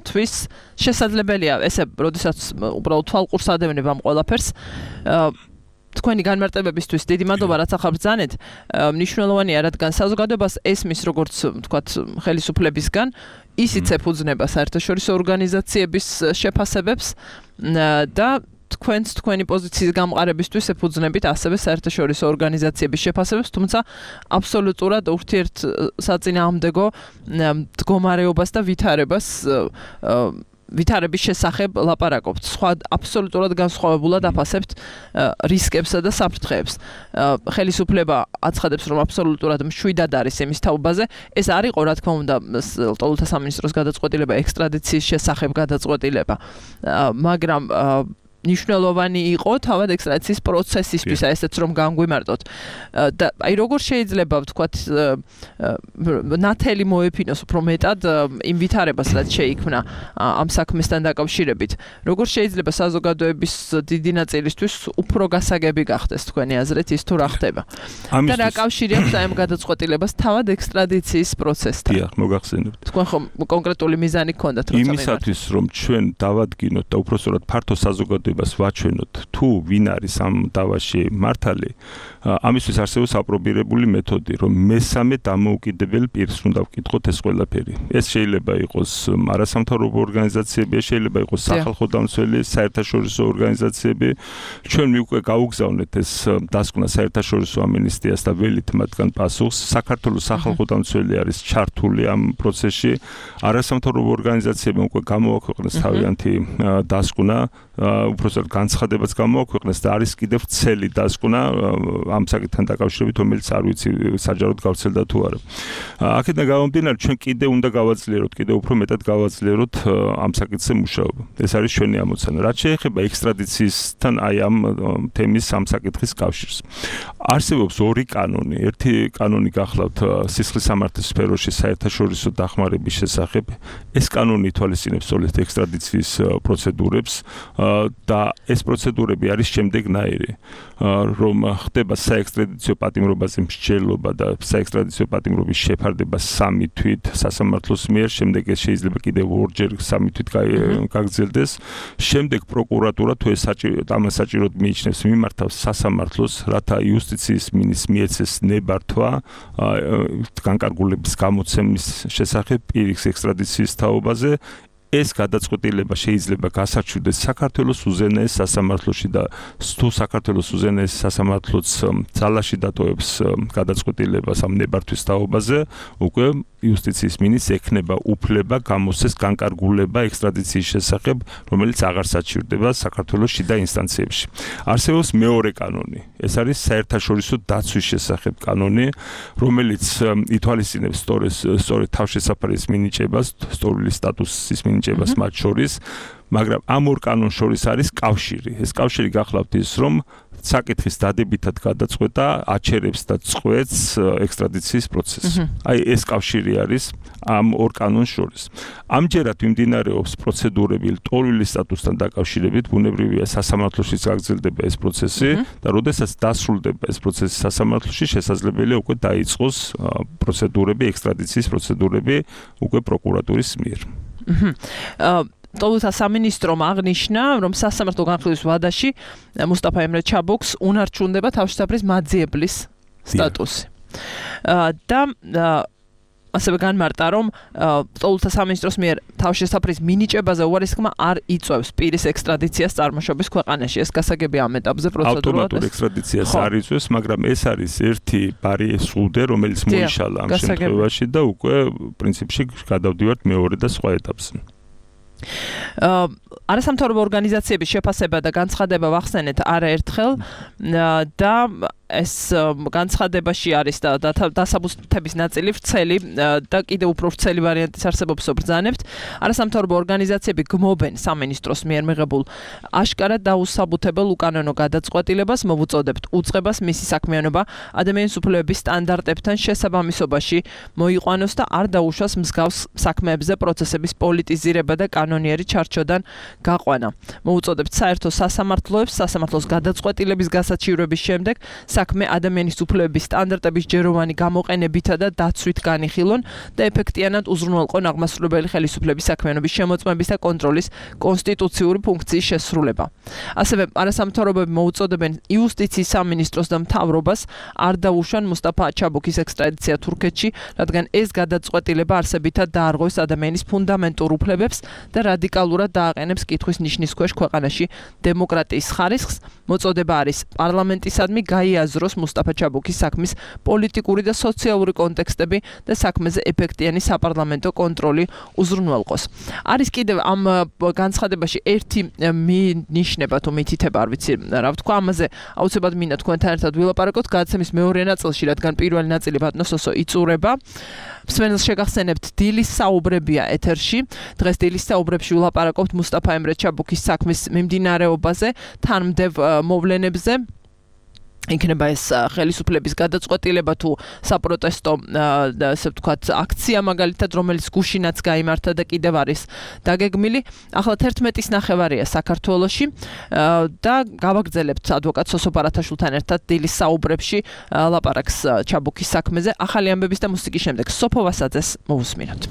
თვის შესაძლებელია ესე, როდესაც უბრალოდ თვალყურს ადევნებ ამ ყველაფერს, თქვენი განმარტებებისთვის დიდი მადლობა, რაც ახალ ბრძანეთ. მნიშვნელოვანია, რადგან საზოგადოებას ესმის, როგორც ვთქვათ, ხელისუფლებისგან ისიც ეფუძნება საერთაშორისო ორგანიზაციების შეფასებებს და თქვენს თქვენი პოზიციის გამყარებისთვის ეფუძნებით ასევე საერთაშორისო ორგანიზაციების შეფასებებს, თუმცა აბსოლუტურად ურთიერთსაწინააღმდეგო მდგომარეობას და ვითარებას ვითარების შესახებ ლაპარაკობთ. სხვა აბსოლუტურად განსხვავებულად აფასებთ რისკებსა და საფრთხეებს. ხელისუფლება აცხადებს, რომ აბსოლუტურად მშვიდად არის იმის თაობაზე. ეს არ იყო, რა თქმა უნდა, ლტოლვილთა სამინისტროს გადაწყვეტილება ექსტრადიციის შესახებ გადაწყვეტილება, მაგრამ ნიშნულოვანი იყო თავად ექსტრადიციის პროცესისთვის, ესეც რომ განგვიმარტოთ. და აი როგორ შეიძლება ვთქვათ ნათელი მოეფინოს უფრო მეტად იმ ვითარებას, რაც შეიქმნა ამ საქმესთან დაკავშირებით. როგორ შეიძლება საზოგადოების დიდი ნაწილისთვის უფრო გასაგები გახდეს თქვენი აზრით ის თუ რა ხდება? და რა კავშირი აქვს აი ამ გადაწყვეტილებას თავად ექსტრადიციის პროცესთან? დიახ, მოგახსენებთ. თქვენ ხომ კონკრეტული მიზანი გქონდათ როცა იმისათვის რომ ჩვენ დავადგინოთ და უпростоრად ფართო საზოგადოებას ვაჩვენოთ თუ ვინ არის ამ დავაში მართალი, ამისთვის არსებობს აპრობირებული მეთოდი, რომ მესამე დამოუკიდებელ პირს უნდა ვკითხოთ ეს ყველაფერი. ეს შეიძლება იყოს არასამთავრობო ორგანიზაციები, შეიძლება იყოს სახალხო დამცველი, საერთაშორისო ორგანიზაციები. ჩვენ უკვე გაუგზავნეთ ეს დასკვნა საერთაშორისო ამნისტიას და ველით მათგან პასუხს. საქართველოს სახალხო დამცველი არის ჩართული ამ პროცესში. არასამთავრობო ორგანიზაციებმა უკვე გამოაქვეყნეს თავიანთი დასკვნა, უბრალოდ განცხადებაც გამოაქვეყნეს და არის კიდევ ცელი დასკვნა ამ საკითხთან დაკავშირებით, რომელიც არ ვიცი საჯაროდ გავრცელდა თუ არა. აქედან გამომდინარე, ჩვენ კიდევ უნდა გავაძლიეროთ, კიდევ უფრო მეტად გავაძლიეროთ ამ საკითხზე მუშაობა. ეს არის ჩვენი ამოცანა. რაც შეეხება ექსტრადიციისთან აი ამ თემის ამ საკითხის კავშირს. არსებობს ორი კანონი. ერთი კანონი გახლავთ სისხლის სამართლის სფეროში საერთაშორისო დახმარების შესახებ. ეს კანონი ითვალისწინებს სწორედ ექსტრადიციის პროცედურებს და ეს პროცედურები არის შემდეგნაირი, რომ ხდება საექსტრადიციო პატიმრობაზე მსჯელობა და საექსტრადიციო პატიმრობის შეფარდება სამი თვით სასამართლოს მიერ, შემდეგ ეს შეიძლება კიდევ ორჯერ სამი თვით გაგრძელდეს. შემდეგ პროკურატურა თუ ეს ამას საჭიროდ მიიჩნევს, მიმართავს სასამართლოს, რათა იუსტიციის მინისტრს მიეცეს ნებართვა განკარგულების გამოცემის შესახებ პირის ექსტრადიციის თაობაზე. ეს გადაწყვეტილება შეიძლება გასარჩევდეს საქართველოს უზენაეს სასამართლოში და თუ საქართველოს უზენაეს სასამართლოც ძალაში დატოვებს გადაწყვეტილებას ამ ნებართვის თაობაზე, უკვე იუსტიციის მინისტრს ექნება უფლება გამოსცეს განკარგულება ექსტრადიციის შესახებ, რომელიც აღარ საჩივრდება საქართველოს შიდა ინსტანციებში. არსებობს მეორე კანონი. ეს არის საერთაშორისო დაცვის შესახებ კანონი, რომელიც ითვალისწინებს სწორედ თავშესაფარის მინიჭებას, სწორული სტატუსის მინიჭებას მათ შორის, მაგრამ ამ ორ კანონს შორის არის კავშირი. ეს კავშირი გახლავთ ის, რომ საკითხის დადებითად გადაწყვეტა აჩერებს და წყვეტს ექსტრადიციის პროცესს. აი ეს კავშირი არის ამ ორ კანონს შორის. ამჯერად მიმდინარეობს პროცედურები ლტოლვილის სტატუსთან დაკავშირებით, ბუნებრივია სასამართლოშიც გაგრძელდება ეს პროცესი და როდესაც დასრულდება ეს პროცესი სასამართლოში, შესაძლებელია უკვე დაიწყოს პროცედურები, ექსტრადიციის პროცედურები უკვე პროკურატურის მიერ. ლტოლვილთა სამინისტრომ აღნიშნა, რომ სასამართლო განხილვის ვადაში მუსტაფა ემრე ჩაბოქს უნარჩუნდება თავშესაფრის მაძიებლის სტატუსი. და ასევე განმარტა, რომ ლტოლვილთა სამინისტროს მიერ თავშესაფრის მინიჭებაზე უარისხმა არ იწვევს პირის ექსტრადიციას წარმოშობის ქვეყანაში. ეს გასაგები ამ ეტაპზე პროცედურულად ავტომატურ ექსტრადიციას არ იწვევს, მაგრამ ეს არის ერთი ბარიერი სრუდე, რომელიც მოიშალა ამ შემთხვევაში და უკვე პრინციპში გადავდივართ მეორე და სხვა ეტაპზე. არასამთავრობო ორგანიზაციების შეფასება და განცხადება ვახსენეთ არაერთხელ და ეს განცხადებაში არის და დასაბუთების ნაწილი ვრცელი და კიდევ უფრო ვრცელი ვარიანტიც არსებობს ბრძანებთ. არასამთავრობო ორგანიზაციები გმობენ სამინისტროს მიერ მიღებულ აშკარად დაუსაბუთებელ უკანონო გადაწყვეტილებას, მოვუწოდებთ უწყებას მისი საქმიანობა ადამიანის უფლებების სტანდარტებთან შესაბამისობაში მოიყვანოს და არ დაუშვას მსგავს საქმეებზე პროცესების პოლიტიზირება და კანონიერი ჩარჩოდან გაყვანა. მოვუწოდებთ საერთო სასამართლოებს სასამართლოს გადაწყვეტილების გასაჩივრების შემდეგ საქმე ადამიანის უფლებების სტანდარტების ჯეროვანი გამოყენებითა და დაცვით განიხილონ და ეფექტიანად უზრუნველყონ აღმასრულებელი ხელისუფლების საქმიანობის შემოწმების და კონტროლის კონსტიტუციური ფუნქციის შესრულება. ასევე არასამთავრობოები მოუწოდებენ იუსტიციის სამინისტროს და მთავრობას არ დაუშვან მუსტაფა ჩაბუქის ექსტრადიცია თურქეთში, რადგან ეს გადაწყვეტილება არსებითად დაარღვევს ადამიანის ფუნდამენტურ უფლებებს და რადიკალურად დააყენებს კითხვის ნიშნის ქვეშ ქვეყანაში დემოკრატიის ხარისხს. მოწოდება არის პარლამენტისადმი გაიაზროს მუსტაფა ჩაბუქის საქმის პოლიტიკური და სოციალური კონტექსტები და საქმეზე ეფექტიანი საპარლამენტო კონტროლი უზრუნველყოს. არის კიდევ ამ განცხადებაში ერთი ნიშნება თუ მითითება, არ ვიცი რა ვთქვა, ამაზე აუცილებლად მინდა თქვენთან ერთად ვილაპარაკოთ გადაცემის მეორე ნაწილში, რადგან პირველი ნაწილი ბატონო სოსო იწურება. მსმენელს შეგახსენებთ, დილის საუბრებია ეთერში. დღეს დილის საუბრებში ვილაპარაკობთ მუსტაფა ემრე ჩაბუქის საქმის მიმდინარეობაზე, თანმდევ მოვლენებზე. იქნება ეს ხელისუფლების გადაწყვეტილება თუ საპროტესტო ასე ვთქვათ აქცია მაგალითად, რომელიც გუშინაც გაიმართა და კიდევ არის დაგეგმილი. ახლა თერთმეტის ნახევარია საქართველოში და გავაგრძელებთ ადვოკატ სოსო ბარათაშვილთან ერთად დილის საუბრებში ლაპარაკს ჩაბუქის საქმეზე. ახალი ამბების და მუსიკის შემდეგ სოფო ვასაძეს მოусმინოთ.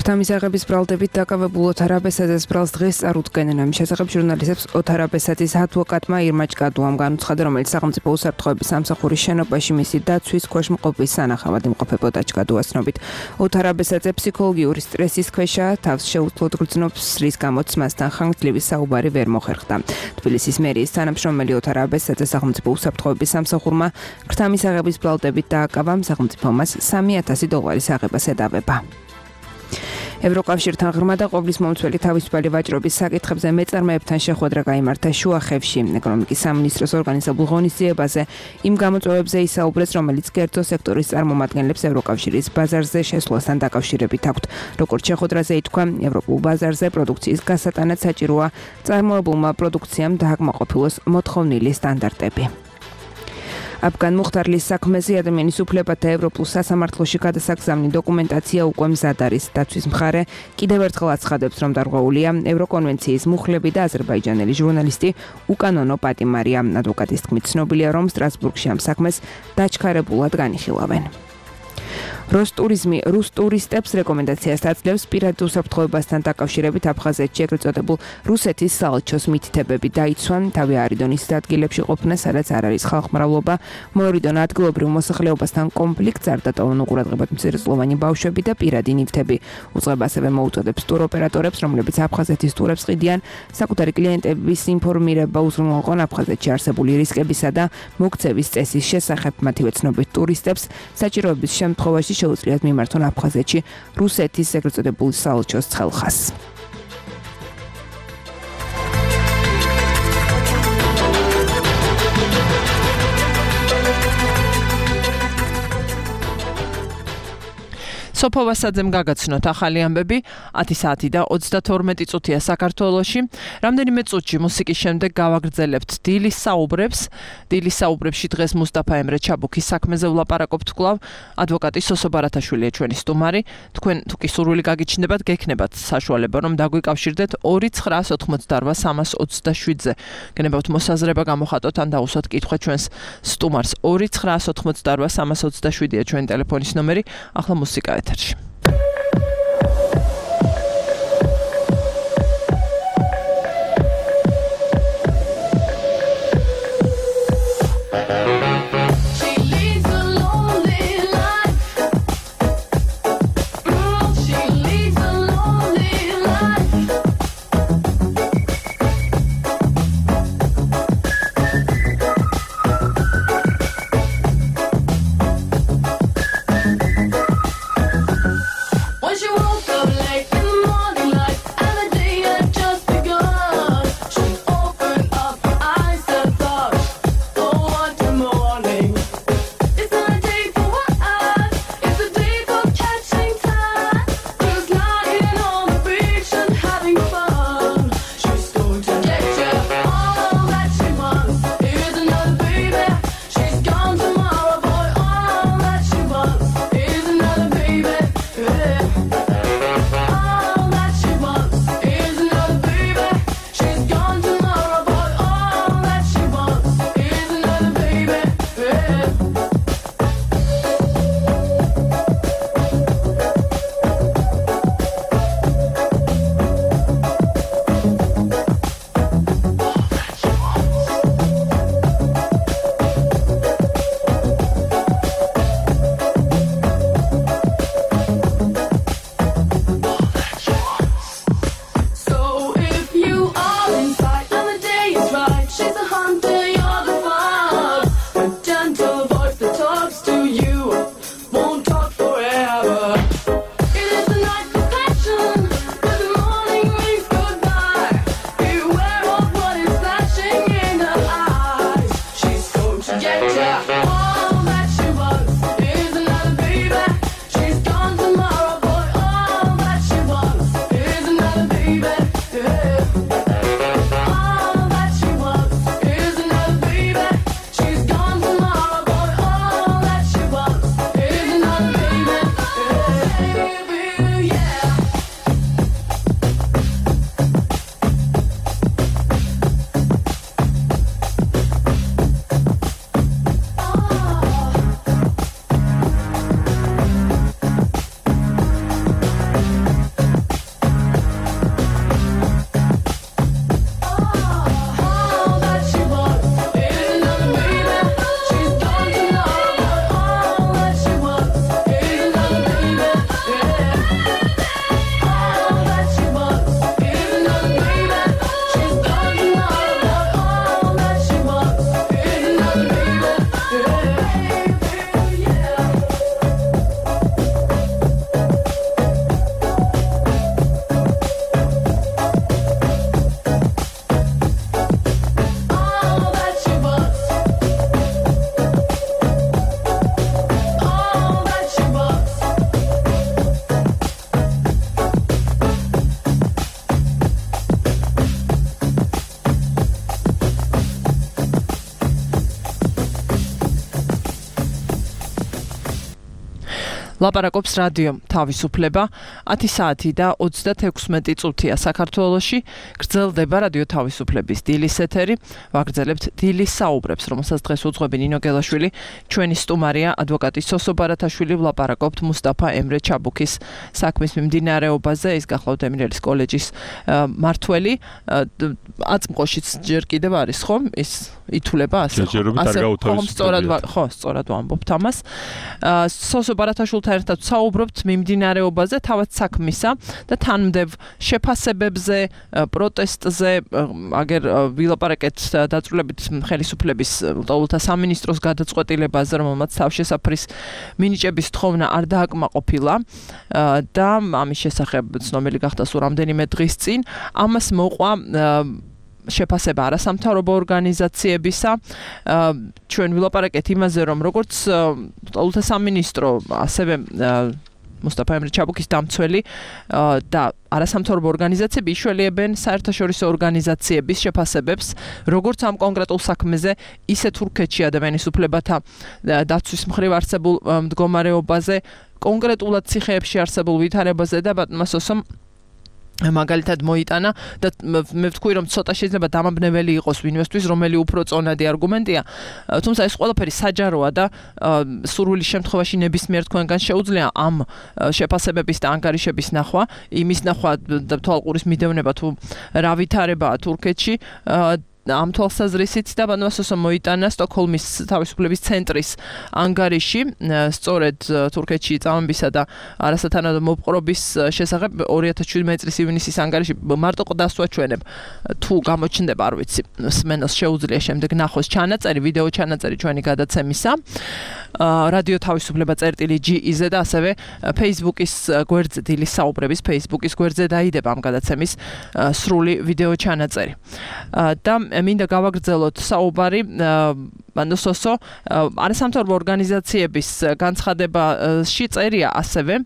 თამისაღების ბრალდებით დაკავებულ ოთარ აბესაძეს ბრალს დღეს წარუდგენენ. ამ შესახებ ჟურნალისტებს ოთარ აბესაძის ადვოკატმა ირმა ჭკადუამ განუცხადა, რომელიც სახელმწიფო უსაფრთხოების სამსახურის შენობაში მისი დაცვის ქვეშ მყოფის სანახავად იმყოფებოდა. ჭკადუას ცნობით, ოთარ აბესაძე ფსიქოლოგიური სტრესის ქვეშაა, თავს შეუძლოდ გრძნობს, რის გამოც მასთან ხანგრძლივი საუბარი ვერ მოხერხდა. თბილისის მერიის თანამშრომელი ოთარ აბესაძე სახელმწიფო უსაფრთხოების სამსახურმა თამისაღების ბრალდებით დააკავა, სახელმწიფო მას სამი ათასი დოლარის აღებას ედავება. ევროკავშირთან ღრმა და ყოვლის მომცველი თავისუფალი ვაჭრობის საკითხებზე მეწარმეებთან შეხვედრა გაიმართა შუახევში. ეკონომიკის სამინისტროს ორგანიზებულ ღონისძიებაზე იმ გამოწვევებზე ისაუბრეს, რომელიც კერძო სექტორის წარმომადგენლებს ევროკავშირის ბაზარზე შესვლასთან დაკავშირებით აქვთ. როგორც შეხვედრაზე ითქვა, ევროპულ ბაზარზე პროდუქციის გასატანად საჭიროა წარმოებულმა პროდუქციამ დააკმაყოფილოს მოთხოვნილი სტანდარტები. აფგან მუხტარლის საქმეზე ადამიანის უფლებათა ევროპულ სასამართლოში გადასაგზავნი დოკუმენტაცია უკვე მზად არის. დაცვის მხარე კიდევ ერთხელ აცხადებს, რომ დარღვეულია ევროკონვენციის მუხლები და აზერბაიჯანელი ჟურნალისტი უკანონო პატიმარია. ადვოკატის თქმით, ცნობილია, რომ სტრასბურგში ამ საქმეს დაჩქარებულად განიხილავენ. როსტურიზმი რუს ტურისტებს რეკომენდაციას აძლევს პირად უსაფრთხოებასთან დაკავშირებით აფხაზეთში ეგრეთ წოდებულ რუსეთის საელჩოს მითითებები დაიცვან. თავი არიდონ ის ადგილებში ყოფნა, სადაც არ არის ხალხმრავლობა, მოერიდონ ადგილობრივ მოსახლეობასთან კონფლიქტს, არ დატოვონ უყურადღებად მცირეწლოვანი ბავშვები და პირადი ნივთები. უწყება ასევე მოუწოდებს ტუროპერატორებს, რომლებიც აფხაზეთის ტურებს ყიდიან, საკუთარი კლიენტების ინფორმირება უზრუნველყონ აფხაზეთში არსებული რისკებისა და მოქცევის წესის შესახებ. მათივე ცნობით, ტურისტებს საჭიროების შემთხვევაში შეუძლიათ მიმართონ აფხაზეთში რუსეთის ეგრეთ წოდებული საელჩოს ცხელხას. სოფო ვასაძემ გაგაცნოთ ახალი ამბები. ათი საათი და ოცდათორმეტი წუთია საქართველოში. რამდენიმე წუთში მუსიკის შემდეგ გავაგრძელებთ დილის საუბრებს. დილის საუბრებში დღეს მუსტაფა ემრე ჩაბუქის საქმეზე ვლაპარაკობთ კვლავ. ადვოკატი სოსო ბარათაშვილია ჩვენი სტუმარი. თქვენ თუ კი სურვილი გაგიჩნდებათ, გექნებათ საშუალება, რომ დაგვიკავშირდეთ ორი ცხრაას ოთხმოცდარვა სამას ოცდაშვიდზე. გენებავთ მოსაზრება გამოხატოთ ან დაუსვათ კითხვა ჩვენს სტუმარს. ორი ცხრაას ოთხმოცდარვა სამას ოცდაშვიდია ჩვენი ტელეფონის ნომერი. ახლა მუსიკა ეთერში. ლაპარაკობს რადიო თავისუფლება ათი საათი და ოცდათექვსმეტი წუთია საქართველოში გრძელდება რადიო თავისუფლების დილის ეთერი ვაგრძელებთ დილის საუბრებს რომელსაც დღეს უძღვები ნინო გელაშვილი ჩვენი სტუმარია ადვოკატი სოსო ბარათაშვილი ვლაპარაკობთ მუსტაფა ემრე ჩაბუქის საქმის მიმდინარეობაზე ის გახლავთ ემირელის კოლეჯის მართველი აწმყოშიც ჯერ კიდევ არის ხომ ის ითვლება ასე ხო სწორად ხო სწორად ვამბობთ ამას სოსო ბარათაშვილთან ერთად საუბრობთ მიმდინარეობაზე თავად საქმისა და თანმდევ შეფასებებზე პროტესტზე აგერ ვილაპარაკეთ დაწვრილებით ხელისუფლების ლტოლთა სამინისტროს გადაწყვეტილებაზე რომელმაც თავშესაფრის მინიჭების თხოვნა არ დააკმაყოფილა და ამის შესახებ ცნობილი გახდა სულ რამდენიმე დღის წინ ამას მოყვა შეფასება არასამთავრობო ორგანიზაციებისა ჩვენ ვილაპარაკეთ იმაზე რომ როგორც ლტოლთა სამინისტრო ასევე მუსტაფა ემრე ჩაბუქის დამცველი და არასამთავრობო ორგანიზაციები იშველიებენ საერთაშორისო ორგანიზაციების შეფასებებს როგორც ამ კონკრეტულ საქმეზე ისე თურქეთში ადამიანის უფლებათა დაცვის მხრივ არსებულ მდგომარეობაზე კონკრეტულად ციხეებში არსებულ ვითარებაზე და ბატონმა სოსომ მაგალითად მოიტანა და მე ვთქვი რომ ცოტა შეიძლება დამაბნეველი იყოს ვინმესთვის რომელი უფრო წონადი არგუმენტია თუმცა ეს ყველაფერი საჯაროა და სურვილის შემთხვევაში ნებისმიერ თქვენგან შეუძლია ამ შეფასებების და ანგარიშების ნახვა იმის ნახვა და თვალყურის მიდევნება თუ რა ვითარებაა თურქეთში ამ თვალსაზრისით და ბატონმა სოსომ მოიტანა სტოკჰოლმის თავისუფლების ცენტრის ანგარიში სწორედ თურქეთში წამებისა და არასათანადო მოპყრობის შესახებ ორი ათას შვიდმეტი წლის ივნისის ანგარიში მარტო ყდასვა ჩვენებ თუ გამოჩნდება არ ვიცი სმენელს შეუძლია შემდეგ ნახოს ჩანაწერი ვიდეო ჩანაწერი ჩვენი გადაცემისა რადიო თავისუფლება წერტილი ჯი-ზე და ასევე Facebook-ის გვერდზე დილის საუბრების Facebook-ის გვერდზე დაიდება ამ გადაცემის სრული ვიდეო ჩანაწერი და მინდა გავაგრძელოთ საუბარი ბატონ სოსო არასამთავრობო ორგანიზაციების განცხადებაში წერია ასევე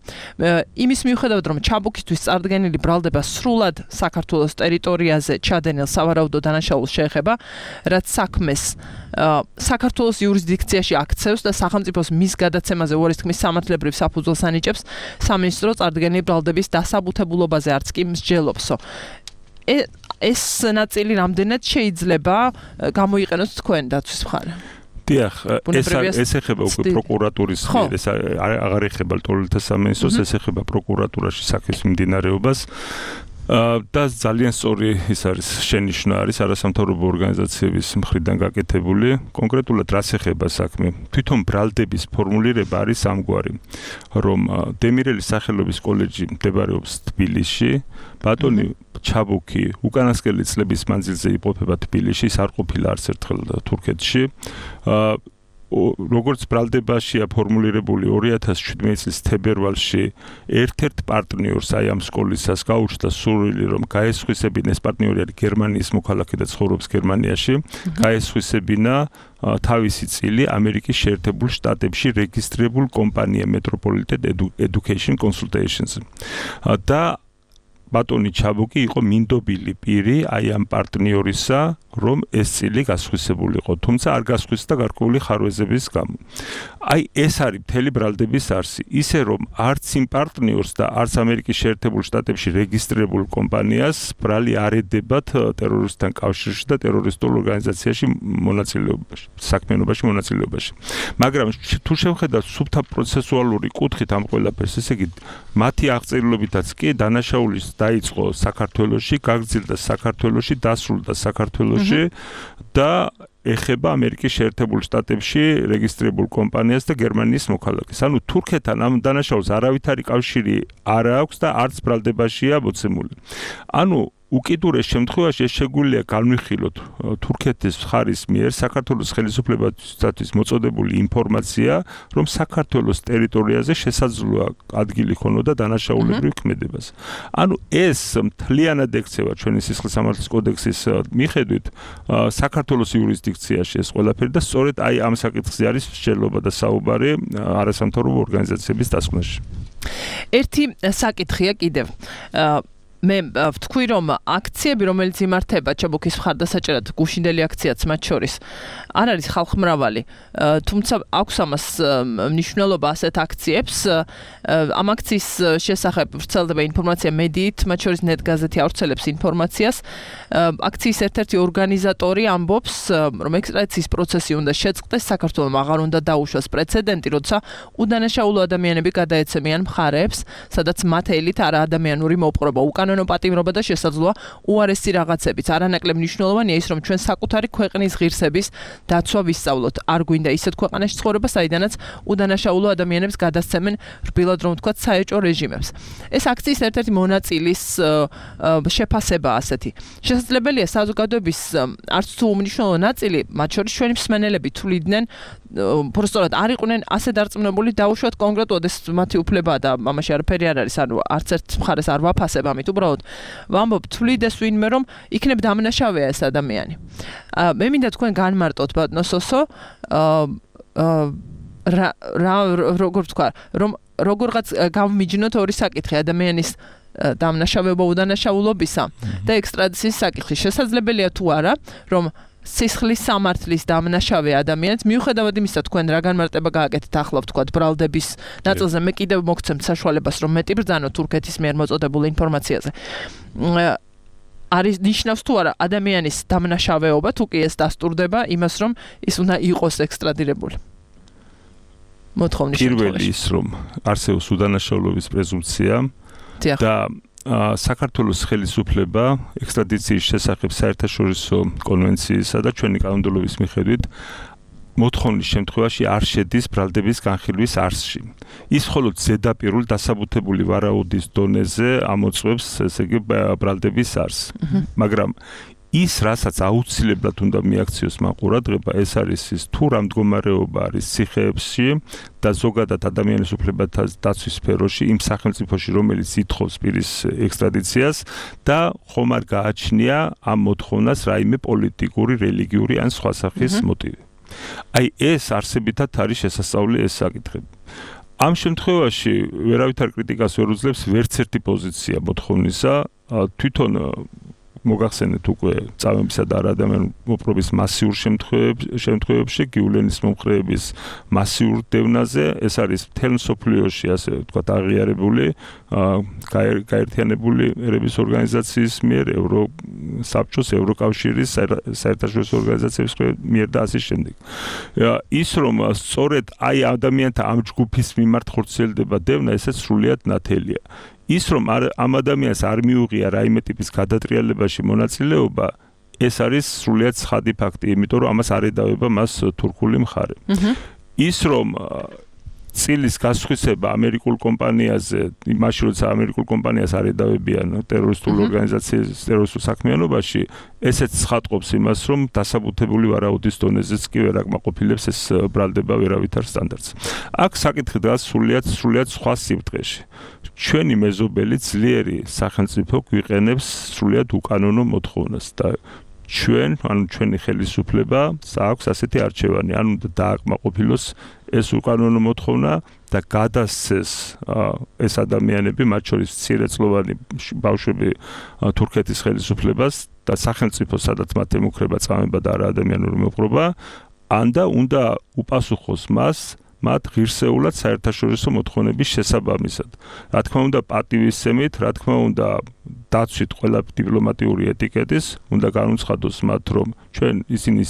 იმის მიუხედავად რომ ჩაბუქისთვის წარდგენილი ბრალდება სრულად საქართველოს ტერიტორიაზე ჩადენილ სავარაუდო დანაშაულს შეეხება რაც საქმეს საქართველოს იურისდიქციაში აქცევს და სახელმწიფოს მის გადაცემაზე უარის თქმის სამართლებრივ საფუძველს ანიჭებს სამინისტრო წარდგენილი ბრალდების დასაბუთებულობაზე არც კი მსჯელობსო ეს ნაწილი რამდენად შეიძლება გამოიყენოთ თქვენ დაცვის მხარე? დიახ, ეს ეს ეხება უკვე პროკურატურის მიერ, ეს აღარ ეხება ლტოლთა სამინისტროს, ეს ეხება პროკურატურაში საქმის მიმდინარეობას. და ძალიან სწორი ის არის შენიშვნა არის არასამთავრობო ორგანიზაციების მხრიდან გაკეთებული კონკრეტულად რას ეხება საქმე თვითონ ბრალდების ფორმულირება არის ამგვარი რომ დემირელის სახელობის კოლეჯი მდებარეობს თბილისში ბატონი ჩაბუქი უკანასკნელი წლების მანძილზე იმყოფება თბილისში ის არ ყოფილა არც ერთხელ თურქეთში როგორც ბრალდებაშია ფორმულირებული ორი ათას შვიდმეტი წლის თებერვალში ერთ-ერთ პარტნიორს აი ამ სკოლისას გაუჩნდა სურვილი რომ გაესხვისებინა ეს პარტნიორი არის გერმანიის მოქალაქე და ცხოვრობს გერმანიაში გაესხვისებინა თავისი წილი ამერიკის შეერთებულ შტატებში რეგისტრირებულ კომპანია Metropolitan Education Consultations და ბატონი ჩაბუქი იყო მინდობილი პირი აი ამ პარტნიორისა რომ ეს წილი გასხვისებულიყო თუმცა არ გასხვისდა გარკვეული ხარვეზების გამო აი ეს არის მთელი ბრალდების არსი ისე რომ არც იმ პარტნიორს და არც ამერიკის შეერთებულ შტატებში რეგისტრირებულ კომპანიას ბრალი არ ედებათ ტერორისტთან კავშირში და ტერორისტულ ორგანიზაციაში მონაწილეობაში საქმიანობაში მონაწილეობაში მაგრამ თუ შევხედავთ სუფთა პროცესუალური კუთხით ამ ყველაფერს ესე იგი მათი აღწერილობითაც კი დანაშაულის დაიწყო საქართველოში, გაგრძელდა საქართველოში, დასრულდა საქართველოში და ეხება ამერიკის შეერთებულ შტატებში რეგისტრირებულ კომპანიას და გერმანიის მოქალაქეს. ანუ თურქეთთან ამ დანაშაულს არავითარი კავშირი არ აქვს და არც ბრალდებაშია მოცემული. ანუ უკიდურეს შემთხვევაში ეს შეგვიძლია განვიხილოთ თურქეთის მხარის მიერ საქართველოს ხელისუფლებისათვის მოწოდებული ინფორმაცია, რომ საქართველოს ტერიტორიაზე შესაძლოა ადგილი ქონოდა დანაშაულებრივ ქმედებას. ანუ ეს მთლიანად ექცევა ჩვენი სისხლისამართლის კოდექსის მიხედვით საქართველოს იურისდიქციაში ეს ყველაფერი და სწორედ აი ამ საკითხზე არის მსჯელობა და საუბარი არასამთავრობო ორგანიზაციების დასკვნაში. ერთი საკითხია კიდევ მე ვთქვი რომ აქციები რომელიც იმართება ჩაბუქის მხარდასაჭერად გუშინდელი აქციაც მათ შორის არ არის ხალხმრავალი თუმცა აქვს ამას მნიშვნელობა ასეთ აქციებს ამ აქციის შესახებ ვრცელდება ინფორმაცია მედიით მათ შორის net გაზეთი ავრცელებს ინფორმაციას აქციის ერთ-ერთი ორგანიზატორი ამბობს რომ ექსტრადიციის პროცესი უნდა შეწყდეს საქართველოს აღარ უნდა დაუშვას პრეცედენტი როცა უდანაშაულო ადამიანები გადაეცემიან მხარეებს სადაც მათ ელით არა ადამიანური მოპყრობა უკანონო პატიმრობა და შესაძლოა უარესი რაღაცებიც არანაკლებ მნიშვნელოვანია ის რომ ჩვენ საკუთარი ქვეყნის ღირსების დაცვა ვისწავლოთ არ გვინდა ისეთ ქვეყანაში ცხოვრება საიდანაც უდანაშაულო ადამიანებს გადასცემენ რბილად რომ ვთქვათ საეჭვო რეჟიმებს ეს აქციის ერთ-ერთი მონაწილის შეფასება ასეთი შესაძლებელია საზოგადოების არც თუ უმნიშვნელო ნაწილი მათ შორის ჩვენი მსმენელები თვლიდნენ პროსტორად არ იყვნენ ასე დარწმუნებული დაუშვათ კონკრეტულად ეს მათი უფლებაა და ამაში არაფერი არ არის ანუ არც ერთ მხარეს არ ვაფასებ ამით უბრალოდ ვამბობ თვლიდეს ვინმე რომ იქნებ დამნაშავეა ეს ადამიანი მე მინდა თქვენ განმარტოთ ბატონო სოსო რა როგორ ვთქვა რომ როგორღაც გამიჯნოთ ორი საკითხი ადამიანის დამნაშავეობა უდანაშაულობისა და ექსტრადიციის საკითხი შესაძლებელია თუ არა რომ სისხლის სამართლის დამნაშავე ადამიანს მიუხედავად იმისა თქვენ რა განმარტება გააკეთეთ ახლა ვთქვათ ბრალდების ნაწილზე მე კიდევ მოგცემთ საშუალებას რომ მეტი ბრძანო თურქეთის მიერ მოწოდებულ ინფორმაციაზე არის ნიშნავს თუ არა ადამიანის დამნაშავეობა თუ კი ეს დასტურდება იმას რომ ის უნდა იყოს ექსტრადირებული მოთხოვნის შემთხვევაში პირველი ის რომ არსებობს უდანაშაულობის პრეზუმპცია და საქართველოს ხელისუფლება ექსტრადიციის შესახებ საერთაშორისო კონვენციისა და ჩვენი კანონმდებლობის მიხედვით მოთხოვნის შემთხვევაში არ შედის ბრალდების განხილვის არსში. ის მხოლოდ ზედაპირულ დასაბუთებული ვარაუდის დონეზე ამოწმებს ესე იგი ბრალდების არსს. მაგრამ ის რასაც აუცილებლად უნდა მიაქციოს მან ყურადღება ეს არის ის თუ რა მდგომარეობა არის ციხეებში და ზოგადად ადამიანის უფლებათა დაცვის სფეროში იმ სახელმწიფოში რომელიც ითხოვს პირის ექსტრადიციას და ხომ არ გააჩნია ამ მოთხოვნას რაიმე პოლიტიკური, რელიგიური ან სხვა სახის მოტივი. აი ეს არსებითად არის შესასწავლი ეს საკითხები. ამ შემთხვევაში ვერავითარ კრიტიკას ვერ უძლებს ვერც ერთი პოზიცია მოთხოვნისა თვითონ მოგახსენეთ უკვე წამებისა და ადამიანური მოპყრობის მასიურ შემთხვევებში გიულენის მომხრეების მასიურ დევნაზე ეს არის მთელ მსოფლიოში ასე ვთქვათ აღიარებული გაერთიანებული ერების ორგანიზაციის მიერ ევროსაბჭოს ევროკავშირის საერთაშორისო ორგანიზაციების მიერ და ასე შემდეგ ის რომ სწორედ აი ადამიანთა ამ ჯგუფის მიმართ ხორციელდება დევნა ესეც სრულიად ნათელია ის რომ ამ ადამიანს არ მიუღია რაიმე ტიპის გადატრიალებაში მონაწილეობა ეს არის სრულიად ცხადი ფაქტი იმიტომ რომ ამას არ ედავება მას თურქული მხარე ის რომ წილის გასხვისება ამერიკულ კომპანიაზე იმაში როცა ამერიკულ კომპანიას არ ედავებიან ტერორისტულ ორგანიზაციას ტერორისტულ საქმიანობაში ესეც ცხადყოფს იმას რომ დასაბუთებული ვარაუდის დონეზეც კი ვერ აკმაყოფილებს ეს ბრალდება ვერავითარ სტანდარტს აქ საკითხი დგას სრულიად სრულიად სხვა სიბრტყეში ჩვენი მეზობელი ძლიერი სახელმწიფო გვიყენებს სრულიად უკანონო მოთხოვნას და ჩვენ ანუ ჩვენი ხელისუფლება აქვს ასეთი არჩევანი ანუ დააკმაყოფილოს ეს უკანონო მოთხოვნა და გადასცეს ეს ადამიანები მათ შორის მცირეწლოვანი ბავშვები თურქეთის ხელისუფლებას და სახელმწიფო სადაც მათ ემუქრება წამება და არა ადამიანური მოპყრობა ან და უნდა უპასუხოს მას მათ ღირსეულად საერთაშორისო მოთხოვნების შესაბამისად. რა თქმა უნდა პატივისცემით, რა თქმა უნდა დაცვით ყველა დიპლომატიური ეტიკეტის, უნდა განუცხადოს მათ რომ ჩვენ ისინი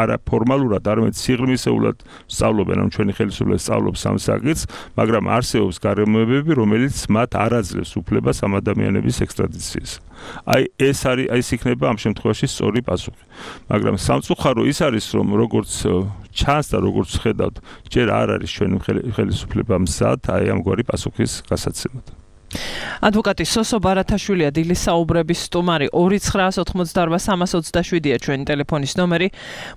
არა ფორმალურად, არამედ სიღრმისეულად სწავლობენ, ან ჩვენი ხელისუფლება სწავლობს ამ საკითხს, მაგრამ არსებობს გარემოებები, რომელიც მათ არ აძლევს უფლებას ამ ადამიანების ექსტრადიციის. აი ეს არის აი ეს იქნება ამ შემთხვევაში სწორი პასუხი. მაგრამ სამწუხარო ის არის რომ როგორც ჩანს და როგორც ხედავთ, ჯერ არ არის ჩვენი ხელისუფლება მზად აი ამგვარი პასუხის გასაცემად. ადვოკატი სოსო ბარათაშვილია დილის საუბრების სტუმარი ორი ცხრა ოთხმოცდაოთხ სამას ოცდაშვიდია ჩვენი ტელეფონის ნომერი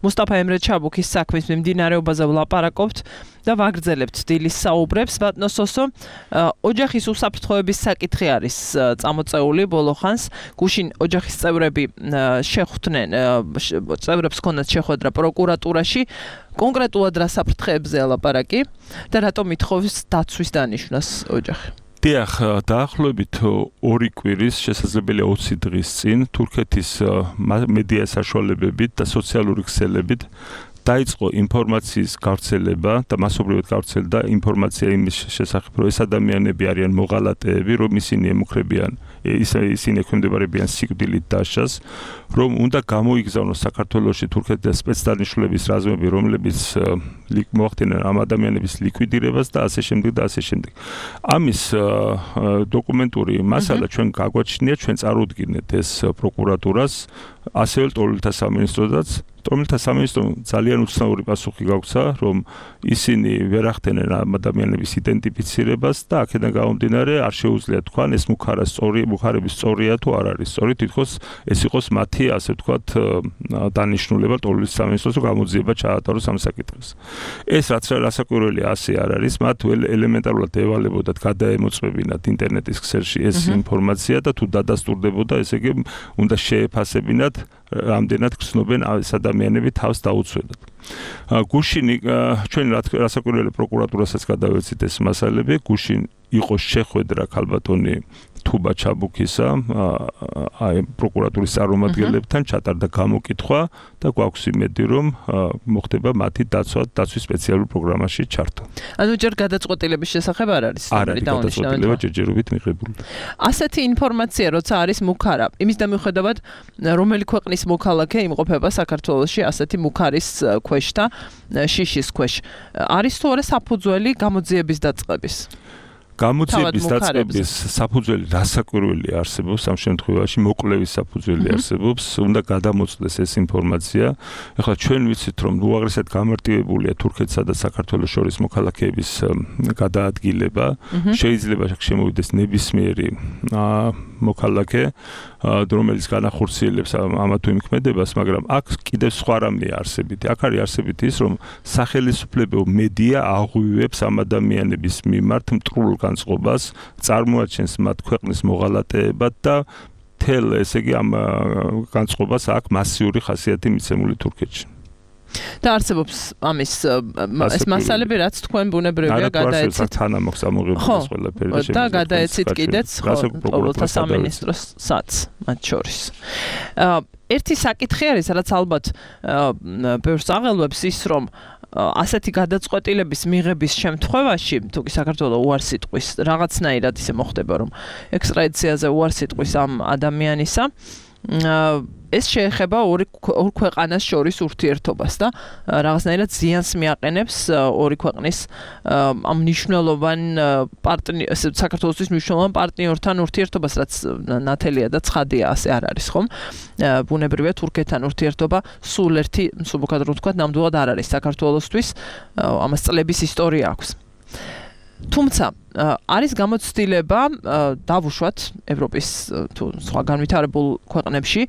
მუსტაფა ემრე ჩაბუქის საქმის მიმდინარეობაზე ვლაპარაკობთ და ვაგრძელებთ დილის საუბრებს ბატონო სოსო ოჯახის უსაფრთხოების საკითხი არის წამოწეული ბოლო ხანს გუშინ ოჯახის წევრები შეხვდნენ წევრებს ჰქონდათ შეხვედრა პროკურატურაში კონკრეტულად რა საფრთხეებზეა ლაპარაკი და რატომ ითხოვს დაცვის დანიშვნას ოჯახი დიახ, დაახლოებით ორი კვირის, შესაძლებელია ოცი დღის წინ თურქეთის მედია საშუალებებით და სოციალური ქსელებით დაიწყო ინფორმაციის გავრცელება და მასობრივად გავრცელდა ინფორმაცია იმის შესახებ, რომ ეს ადამიანები არიან მოღალატეები, რომ ისინი ემუქრებიან, ისინი ექვემდებარებიან სიკვდილით დასჯას, რომ უნდა გამოიგზავნოს საქართველოში თურქეთის სპეცდანიშნულების რაზმები, რომლებიც მოახდინონ ამ ადამიანების ლიკვიდირებას და ასე შემდეგ და ასე შემდეგ. ამის დოკუმენტური მასალა ჩვენ გაგვაჩნია, ჩვენ წარუდგინეთ ეს პროკურატურას, ასევე ტოლთა სამინისტროდაც. ტოლთა სამინისტრომ ძალიან უცნაური პასუხი გაგვცა, რომ ისინი ვერ ახდენენ ამ ადამიანების იდენტიფიცირებას და აქედან გამომდინარე არ შეუძლია თქვან ეს მუქარა სწორი, მუქარების სწორია თუ არ არის სწორი, თითქოს ეს იყოს მათი, ასე ვთქვათ, დანიშნულება ტოლთა სამინისტროს, რომ გამოძიება ჩაატაროს ამ საკითხს. ეს რაც რასაკვირველია ასე არ არის, მათ ელემენტარულად ევალებოდათ გადაემოწმებინათ ინტერნეტის ქსელში ეს ინფორმაცია და თუ დადასტურდებოდა, ესე იგი უნდა შეეფასებინათ რამდენად გრძნობენ ეს ადამიანები თავს დაუცვედათ. გუშინი ჩვენ რასაკვირველია პროკურატურასაც გადავეცით ეს მასალები, გუშინ იყო შეხვედრა ქალბატონი თუბა ჩაბუქისა აი პროკურატურის წარმომადგენლებთან ჩატარდა გამოკითხვა და გვაქვს იმედი რომ მოხდება მათი დაცვა დაცვის სპეციალურ პროგრამაში ჩართვა. ანუ ჯერ გადაწყვეტილების შესახებ არ არის სამი გადაწყვეტილება ჯერჯერობით მიღებული. ასეთი ინფორმაცია როცა არის მუქარა, იმის დამოუკიდებლად რომელი ქვეყნის მოქალაქე იმყოფება საქართველოში ასეთი მუქარის ქვეშ და შიშის ქვეშ. არის თუ არა საფუძველი გამოძიების დაწყების? გამოძიების დაწყების საფუძველი რასაკვირველია არსებობს ამ შემთხვევაში, მოკლევის საფუძველი არსებობს, უნდა გადამოწდეს ეს ინფორმაცია. ეხლა ჩვენ ვიცით, რომ უაღრესად გამარტივებულია თურქეთსა და საქართველოს შორის მოქალაქეების გადაადგილება, შეიძლება შემოვიდეს ნებისმიერი მოქალაქე, რომელიც განახორციელებს ამა თუ იმ ქმედებას, მაგრამ აქ კიდევ სხვა რამეა არსებითი. აქ არის არსებითი ის, რომ სახელისუფლებო მედია აღვივებს ამ ადამიანების მიმართ მტრულ განწყობას, წარმოაჩენს მათ ქვეყნის მოღალატეებად და თელ, ესე იგი, ამ განწყობას აქვს მასიური ხასიათი მიცემული თურქეთში. და არსებობს ამის ეს მასალები, რაც თქვენ ბუნებრივია გადაეცით. თანამოქს ამოღებდეს ყველაფერი და და გადაეცით კიდეც ყოველთა სამინისტროსაც მათ შორის. ერთი საკითხი არის, რაც ალბათ ბევრს აღელვებს ის, რომ ასეთი გადაწყვეტილების მიღების შემთხვევაში, თუ კი საქართველოს უარს იტყვის, რაღაცნაირად ისე მოხდება, რომ ექსტრადიციაზე უარს იტყვის ამ ადამიანისა, ეს შეეხება ორი ორ ქვეყანას შორის ურთიერთობას და რაღაცნაირად ზიანს მიაყენებს ორი ქვეყნის ამ მნიშვნელოვან პარტნიორ საქართველოსთვის მნიშვნელოვან პარტნიორთან ურთიერთობას, რაც ნათელია და ცხადია, ასე არ არის, ხომ? ბუნებრივია თურქეთთან ურთიერთობა სულ ერთი, სულ უკადრო ვთქვათ, ნამდვილად არ არის საქართველოსთვის, ამას წლების ისტორია აქვს. თუმცა არის გამოცდილება დავუშვათ ევროპის თუ სხვა განვითარებულ ქვეყნებში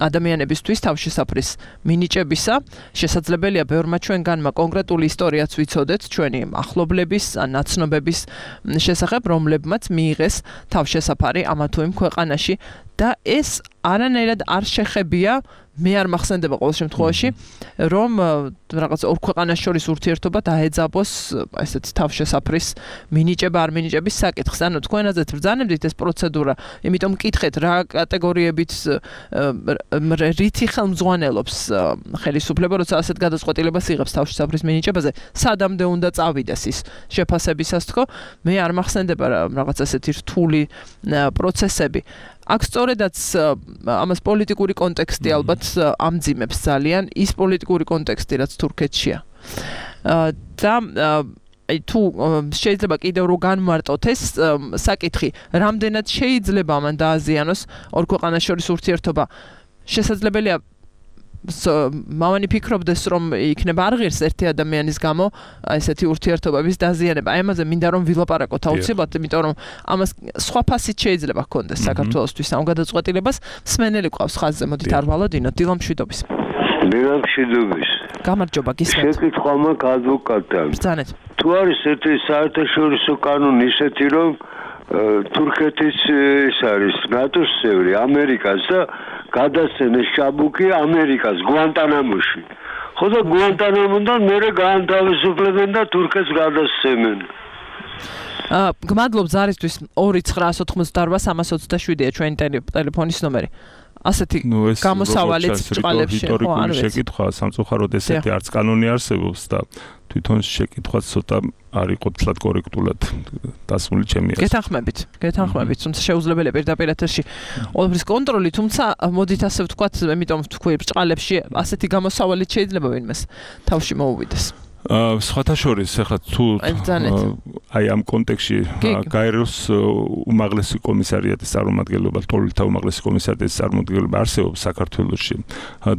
ადამიანებისთვის თავშესაფრის მინიჭებისა. შესაძლებელია ბევრმა ჩვენგანმა კონკრეტული ისტორიაც ვიცოდეთ ჩვენი ახლობლების ან ნაცნობების შესახებ, რომლებმაც მიიღეს თავშესაფარი ამა თუ იმ ქვეყანაში და ეს არანაირად არ შეხებია, მე არ მახსენდება ყოველ შემთხვევაში, რომ რაღაც ორ ქვეყანას შორის ურთიერთობა დაეძაბოს ესეთ თავშესაფრის მინიჭება არ მინიჭების საკითხს. ანუ თქვენაზეც ბრძანებდით ეს პროცედურა, იმიტომ მკითხეთ რა კატეგორიებით რითი ხელმძღვანელობს ხელისუფლება, როცა ასეთ გადაწყვეტილებას იღებს თავშესაფრის მინიჭებაზე, სადამდე უნდა წავიდეს ის შეფასებისას თქო, მე არ მახსენდება რაღაც ასეთი რთული პროცესები. აქ სწორედაც ამას პოლიტიკური კონტექსტი ალბათ ამძიმებს ძალიან, ის პოლიტიკური კონტექსტი, რაც თურქეთშია. და აი თუ შეიძლება კიდევ რო განმარტოთ ეს საკითხი, რამდენად შეიძლება ამან დააზიანოს ორ ქვეყანას შორის ურთიერთობა, შესაძლებელია მამანი ფიქრობდეს, რომ იქნება არ ღირს ერთი ადამიანის გამო ესეთი ურთიერთობების დაზიანება. აი ამაზე მინდა რომ ვილაპარაკოთ აუცილებლად, იმიტომ რომ ამას სხვა ფასით შეიძლება ჰქონდეს საქართველოსთვის ამ გადაწყვეტილებას. მსმენელი ყავს ხაზზე, მოდით არ ვალოდინოთ. დილა მშვიდობის. დილა მშვიდობის. გამარჯობა, გისმენთ. შეკითხვა მაქვს ადვოკატთან. ბრძანეთ. თუ არის ერთი საერთაშორისო კანონი ისეთი, რომ თურქეთის ეს არის ნატოს წევრი, ამერიკას და გადასცემეს ჩაბუქი ამერიკას გვანტანამოში. ხო და გვანტანამოდან მერე გაანთავისუფლებენ და თურქეთს გადასცემენ. აა გმადლობ ზარისთვის ორი ცხრაას ოთხმოცდაორბა სამას ოცდაშვიდია ჩვენი ტელეფონის ნომერი. ასეთი გამოსავალიც ჭყალებში ხო არ ვიცი. შეკითხვა სამწუხაროდ ესეთი არც კანონი არსებობს და თვითონ შეკითხვაც ცოტა არ იყო თლად კორექტულად დასმული ჩემი აზრით. გეთანხმებით, გეთანხმებით, თუმცა შეუძლებელია პირდაპირ ეთერში ყველაფრის კონტროლი, თუმცა მოდით ასე ვთქვათ, ამიტომ ვთქვი ბრჭყალებში ასეთი გამოსავალიც შეიძლება ვინმეს თავში მოუვიდეს. აა სხვათა შორის ახლა თუ აი ამ კონტექსში გაეროს უმაღლესი კომისარიატის წარმომადგენლობა, თოვლთა უმაღლესი კომისარიატის წარმომადგენლობა არსებობს საქართველოში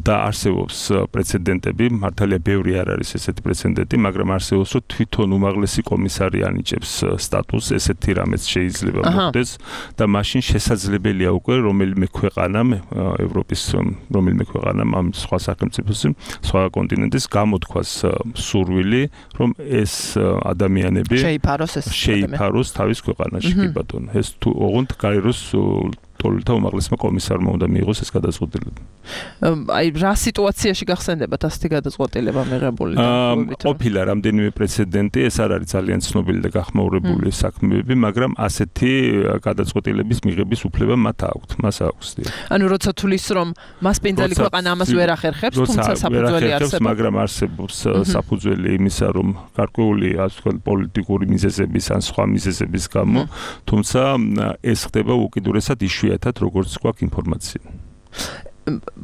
და არსებობს პრეცედენტები, მართალია ბევრი არ არის ესეთი პრეცედენტი, მაგრამ არსებობს რომ თვითონ უმაღლესი კომისარი ანიჭებს სტატუსს, ესეთი რამეც შეიძლება მოხდეს და მაშინ შესაძლებელია უკვე რომელიმე ქვეყანამ, ევროპის რომელიმე ქვეყანამ ამ სხვა სახელმწიფოს, სხვა კონტინენტის გამოთქვას სურვილი რომ ეს ადამიანები შეიფაროს ეს შეიფაროს თავის ქვეყანაში კი ბატონო. ეს თუ ოღონდ გაეროს თოვლთა უმაღლესმა კომისარმა უნდა მიიღოს ეს გადაწყვეტილება. აი რა სიტუაციაში გახსენდებათ ასეთი გადაწყვეტილება მიღებული? ყოფილა რამდენიმე პრეცედენტი, ეს არ არის ძალიან ცნობილი და გახმაურებული საქმეები, მაგრამ ასეთი გადაწყვეტილების მიღების უფლება მათ აქვთ, მას აქვს. ანუ როცა თulis რომ მასპინძელი ქვეყანა ამას ვერ ახერხებს, თუმცა საფუძველი არსებობს, მაგრამ არსებობს საფუძველი იმისა, რომ გარკვეული ასე ვთქვათ პოლიტიკური მიზეზების ან სხვა მიზეზების გამო, თუმცა ეს ხდება უკიდურესად იშვიათად როგორც გვაქვს ინფორმაცია.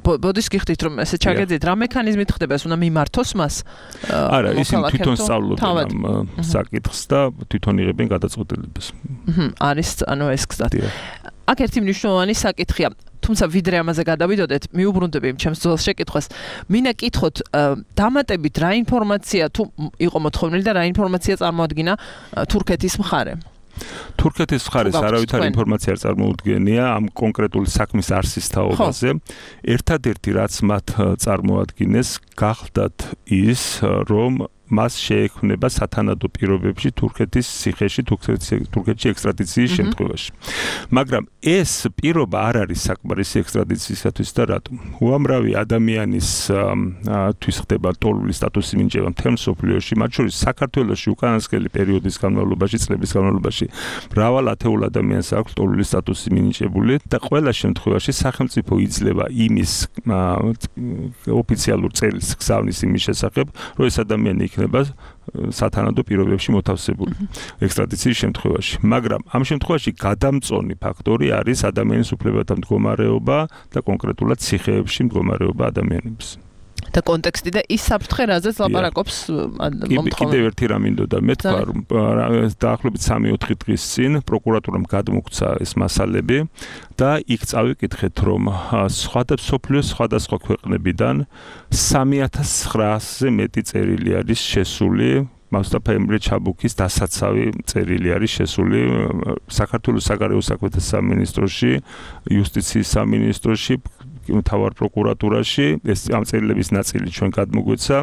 ბოდის გიხდით რომ ესე ჩაგეძით რა მექანიზმით ხდება ეს უნდა მიმართოს მას? არა, ისინი თვითონ სწავლობენ ამ საკითხს და თვითონ იღებენ გადაწყვეტილებას. არის ანუ ეს გზად. აქ ერთი მნიშვნელოვანი საკითხია. თუმცა ვიდრე ამაზე გადავიდოდეთ, მიუბრუნდები ჩემს ძველს შეკითხვას. მინდა კითხოთ, დამატებით რა ინფორმაცია თუ იყო მოთხოვნილი და რა ინფორმაცია წარმოადგინა თურქეთის მხარემ? თურქეთის მხარეს არავითარი ინფორმაცია არ წარმოუდგენია ამ კონკრეტული საქმის არსის თაობაზე. ერთადერთი რაც მათ წარმოადგინეს, გახდათ ის, რომ მას შეექმნება სათანადო პირობებში თურქეთის ციხეში, თურქეთში ექსტრადიციის შემთხვევაში. მაგრამ ეს პირობა არ არის საკმარისი ექსტრადიციისათვის და რატომ? უამრავი ადამიანის თვის ხდება თოვლების სტატუსი მინიჭება მთელ მსოფლიოში, მათ შორის საქართველოში უკანასკნელი პერიოდის განმავლობაში, წლების განმავლობაში მრავალ ათეულ ადამიანს აქვს თოვლების სტატუსი მინიჭებული და ყველა შემთხვევაში სახელმწიფო იძლევა იმის ოფიციალურ წერილს გზავნის იმის შესახებ, რომ ეს ადამიანი იქნება სათანადო პირობებში მოთავსებული ექსტრადიციის შემთხვევაში. მაგრამ ამ შემთხვევაში გადამწონი ფაქტორი არის ადამიანის უფლებათა მდგომარეობა და კონკრეტულად ციხეებში მდგომარეობა ადამიანების. და კონტექსტი და ის საფრთხე, რაზეც ლაპარაკობს მომთხოვნელი. კიდევ ერთი რამ მინდოდა მეთქვა, რომ დაახლოებით სამი-ოთხი დღის წინ პროკურატურამ გადმოგვცა ეს მასალები და იქ წავიკითხეთ, რომ სხვადასხვა სოფლიოს სხვადასხვა ქვეყნებიდან სამი ათას ცხრაასზე მეტი წერილი არის შესული მუსტაფა ემრე ჩაბუქის დასაცავი წერილი არის შესული საქართველოს საგარეო საქმეთა სამინისტროში, იუსტიციის სამინისტროში, მთავარ პროკურატურაში, ეს ამ წერილების ნაწილი ჩვენ გადმოგვეცა.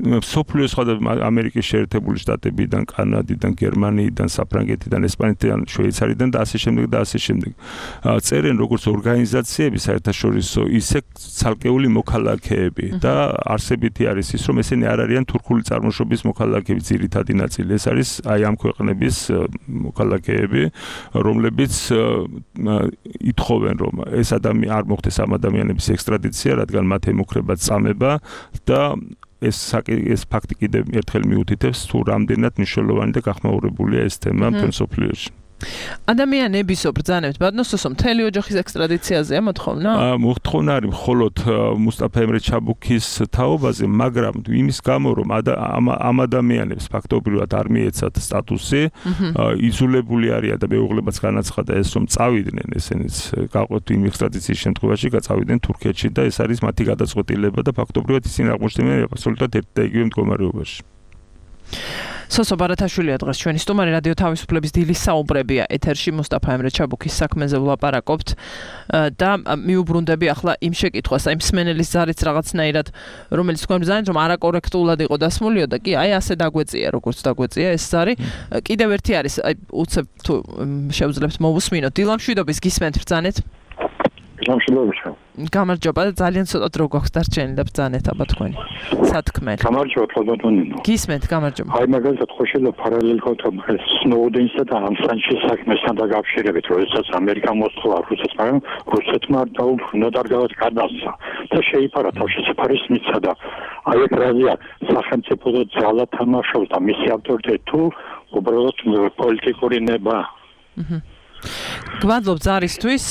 სოფლიოს სხვადასხვა ამერიკის შეერთებული შტატებიდან, კანადიდან, გერმანიიდან, საფრანგეთიდან, ესპანეთიდან, შვეიცარიიდან და ასე შემდეგ და ასე შემდეგ. წერენ როგორც ორგანიზაციები საერთაშორისო, ისე ცალკეული მოქალაქეები და არსებითი არის ის, რომ ესენი არ არიან თურქული წარმოშობის მოქალაქეები, ძირითადი ნაწილი. ეს არის აი ამ ქვეყნების მოქალაქეები, რომლებიც ითხოვენ, რომ ეს ადამიანი არ მოხდეს ამ ადამიანების ექსტრადიცია, რადგან მათ ემუქრებათ წამება და ეს ეს ფაქტი კიდევ ერთხელ მიუთითებს თუ რამდენად მნიშვნელოვანი და გახმაურებულია ეს თემა მთელ მსოფლიოში. ადამიანების ობრძანებთ ბატონოსო მთელი ოჯახის ექსტრადიციაზეა მოთხოვნა? აა მოთხოვნა არის მხოლოდ მუსტაფა ემრე ჩაბუქის თაობაზე, მაგრამ იმის გამო რომ ამ ადამიანებს ფაქტობრივად არ მიეცათ სტატუსი, იზოლებული არიან და მეუღლებაც განაცხადა ეს რომ წავიდნენ ესენიც გაყვეთ იმ ექსტრადიციის შემთხვევაში გაწავიდნენ თურქეთში და ეს არის მათი გადაწყვეტილება და ფაქტობრივად ისინი აღმოჩნდნენ აბსოლუტურად ერთ და იგივე მდგომარეობაში. სოსო ბარათაშვილია დღეს ჩვენი სტუმარი რადიო თავისუფლების დილის საუბრებია ეთერში მუსტაფა ემრე ჩაბუქის საქმეზე ვლაპარაკობთ და მიუბრუნდები ახლა იმ შეკითხვას, აი მსმენელის ზარიც რაღაცნაირად რომელიც თქვენ ბრძანეთ რომ არაკორექტულად იყო დასმულიო და კი აი ასე დაგვეწია როგორც დაგვეწია ეს ზარი. კიდევ ერთი არის აი უცებ თუ შევძლებთ მოვუსმინოთ დილამშვიდობის გისმენთ ბრძანეთ. გამშვიდობებია. გამარჯობა და ძალიან ცოტა დრო გვაქვს დარჩენილი და ბრძანეთ აბა თქვენი სათქმელი. გამარჯობა თვალბატონინო. გისმენთ, გამარჯობა. აი მაგალითად ხო შეიძლება პარალელ კონტექსტ სნოუდენსა და ამსანჩის საქმესთან დაკავშირებით, როდესაც ამერიკა მოსთხოვა რუსეთს, მაგრამ რუსეთმა დაუბრუნდა და გადასცა და შეიფარა თავშესაფარის მისცა და აი ეს რაზეა სახელმწიფო ძალა თამაშობს და მისი ავტორიტეტი თუ უბრალოდ პოლიტიკური ნება. აჰა. გვადლობ ზარისთვის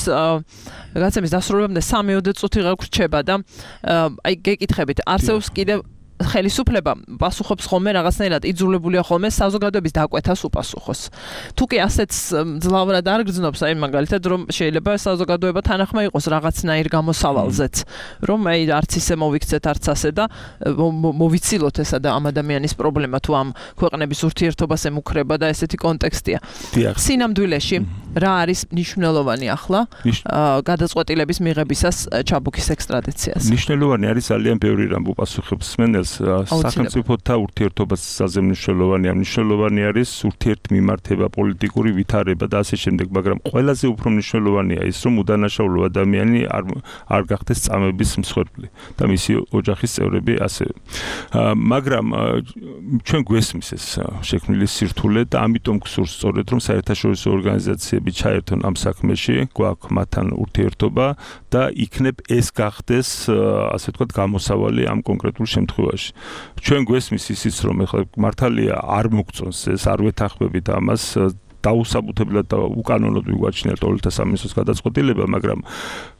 გაცემის დასრულებამდე სამი-ოცი წუთი გაგვრჩება და აი გეკითხებით არსებობს კიდევ ხელისუფლება პასუხობს ხოლმე რაღაცნაირად იძულებულია ხოლმე საზოგადოების დაკვეთას უპასუხოს. თუ კი ასეც ძლავრად არ გრძნობს, აი მაგალითად რომ შეიძლება საზოგადოება თანახმა იყოს რაღაცნაირ გამოსავალზეც, რომ აი არც ისე მოვიქცეთ, არც ასე და მოვიცილოთ ესა და ამ ადამიანის პრობლემა თუ ამ ქვეყნების ურთიერთობას ემუქრება და ესეთი კონტექსტია. სინამდვილეში რა არის მნიშვნელოვანი ახლა გადაწყვეტილების მიღებისას ჩაბუქის ექსტრადიციას? მნიშვნელოვანი არის ძალიან ბევრი რამ უპასუხებს მენელს სახელმწიფოთა ურთიერთობაზე მნიშვნელოვანია, მნიშვნელოვანი არის ურთიერთმიმართება, პოლიტიკური ვითარება და ასე შემდეგ, მაგრამ ყველაზე უფრო მნიშვნელოვანია ის, რომ უდანაშაულო ადამიანი არ არ გახდეს წამების მსხვერპლი და მისი ოჯახის წევრები ასევე. მაგრამ ჩვენ გვესმის ეს შექმნილი სირთულე და ამიტომ გსურს სწორედ რომ საერთაშორისო ორგანიზაციები ჩაერთონ ამ საქმეში, გვაქვს მათთან ურთიერთობა და იქნებ ეს გახდეს ასე ვთქვათ გამოსავალი ამ კონკრეტულ შემთხვევაში. ჩვენ გვესმის ისიც რომ ეხლა მართალია არ მოგწონს ეს არ ვეთანხმებით ამას დაუსაბუთებლად და უკანონოდ ვიგვაჩნიათ თოვლთა სამინისტროს გადაწყვეტილება, მაგრამ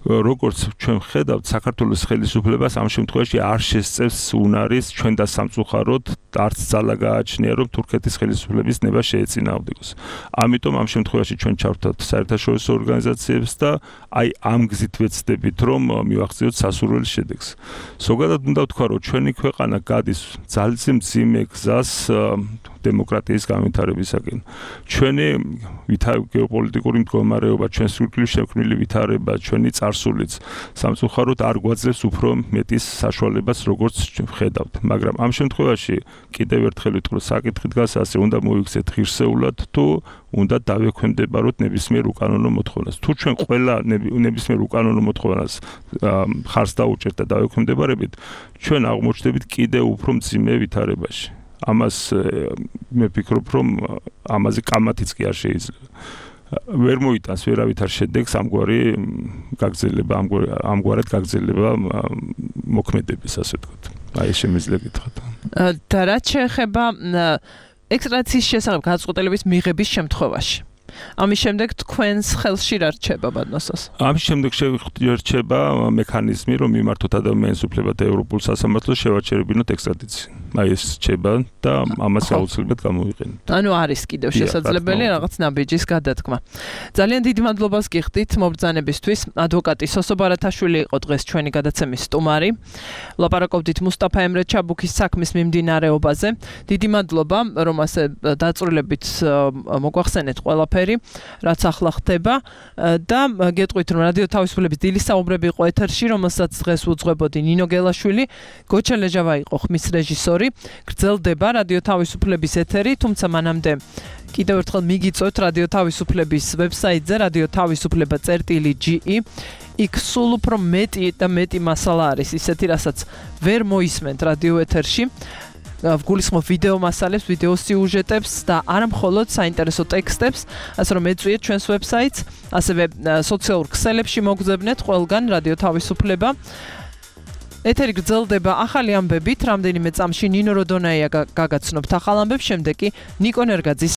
როგორც ჩვენ ხედავთ საქართველოს ხელისუფლებას ამ შემთხვევაში არ შესწევს უნარის ჩვენ და სამწუხაროდ არც ძალა გააჩნია რომ თურქეთის ხელისუფლების ნება შეეწინააღმდეგოს. ამიტომ ამ შემთხვევაში ჩვენ ჩავთვალთ საერთაშორისო ორგანიზაციებს და აი ამ გზით ვეცდებით რომ მივახციოთ სასურველ შედეგს. ზოგადად უნდა ვთქვა რომ ჩვენი ქვეყანა გადის ძალიან მძიმე გზას დემოკრატიის განვითარებისაკენ. ჩვენი გეოპოლიტიკური მდგომარეობა, ჩვენ სრულყოფილი შექმნილი ვითარება, ჩვენი წარსულიც სამწუხაროდ არ გვაძლევს უფრო მეტის საშუალებას, როგორც ხედავთ. მაგრამ ამ შემთხვევაში კიდევ ერთხელ ვიტყვი, საკითხი დგას ასე, უნდა მოვიქცეთ ღირსეულად თუ უნდა დავექვემდებაროთ ნებისმიერ უკანონო მოთხოვნას. თუ ჩვენ ყველა ნებისმიერ უკანონო მოთხოვნას ხარს დაუჭერთ და დავექვემდებარებით, ჩვენ აღმოჩნდებით კიდევ უფრო მძიმე ვითარებაში. ამას მე ვფიქრობ, რომ ამაზე კამათიც კი არ შეიძლება. ვერ მოიტანს ვერავითარ შედეგს ამგვარი გაგრძელება, ამგვარად გაგრძელება მოქმედების, ასე ვთქვათ. აი ეს შემიძლია გითხრათ. და რაც შეეხება ექსტრადიციის შესახებ გადაწყვეტილების მიღების შემთხვევაში. ამის შემდეგ თქვენს ხელში რა რჩება ბადნოსოს? ამის შემდეგ შევირჩება მექანიზმი, რომ მიმართოთ ადამიანის უფლებათა ევროპულ სასამართლოს შევაჩერებინოთ ექსტრადიცია. აი ეს რჩება და ამას აუცილებლად გამოვიყენოთ. ანუ არის კიდევ შესაძლებელი რაღაც ნაბიჯის გადადგმა. ძალიან დიდი მადლობას გიხდით მობრძანებისთვის. ადვოკატი სოსო ბარათაშვილი იყო დღეს ჩვენი გადაცემის სტუმარი. ლაპარაკობდით მუსტაფა ემრე ჩაბუქის საქმის მიმდინარეობაზე. დიდი მადლობა, რომ ასე დაწვრილებით მოგვახსენეთ ყველაფერი, რაც ახლა ხდება და გეტყვით, რომ რადიო თავისუფლების დილის საუბრები იყო ეთერში, რომელსაც დღეს უძღვებოდი ნინო გელაშვილი, გოჩა ლეჟავა იყო ხმის რეჟისორი. გრძელდება რადიო თავისუფლების ეთერი, თუმცა მანამდე კიდევ ერთხელ მიგიწევთ რადიო თავისუფლების ვებსაიტზე რადიო თავისუფლება წერტილი ჯი ი. იქ სულ უფრო მეტი და მეტი მასალა არის, ისეთი რასაც ვერ მოისმენთ რადიო ეთერში. ვგულისხმობ ვიდეო მასალებს, ვიდეო სიუჟეტებს და არა მხოლოდ საინტერესო ტექსტებს, ასე რომ ეწვიეთ ჩვენს ვებსაიტს, ასევე სოციალურ ქსელებში მოგძებნეთ ყველგან რადიო თავისუფლება. ეთერი გრძელდება ახალი ამბებით, რამდენიმე წამში ნინო როდონაია გაგაცნობთ ახალ ამბებს, შემდეგ კი ნიკო ნერგაძის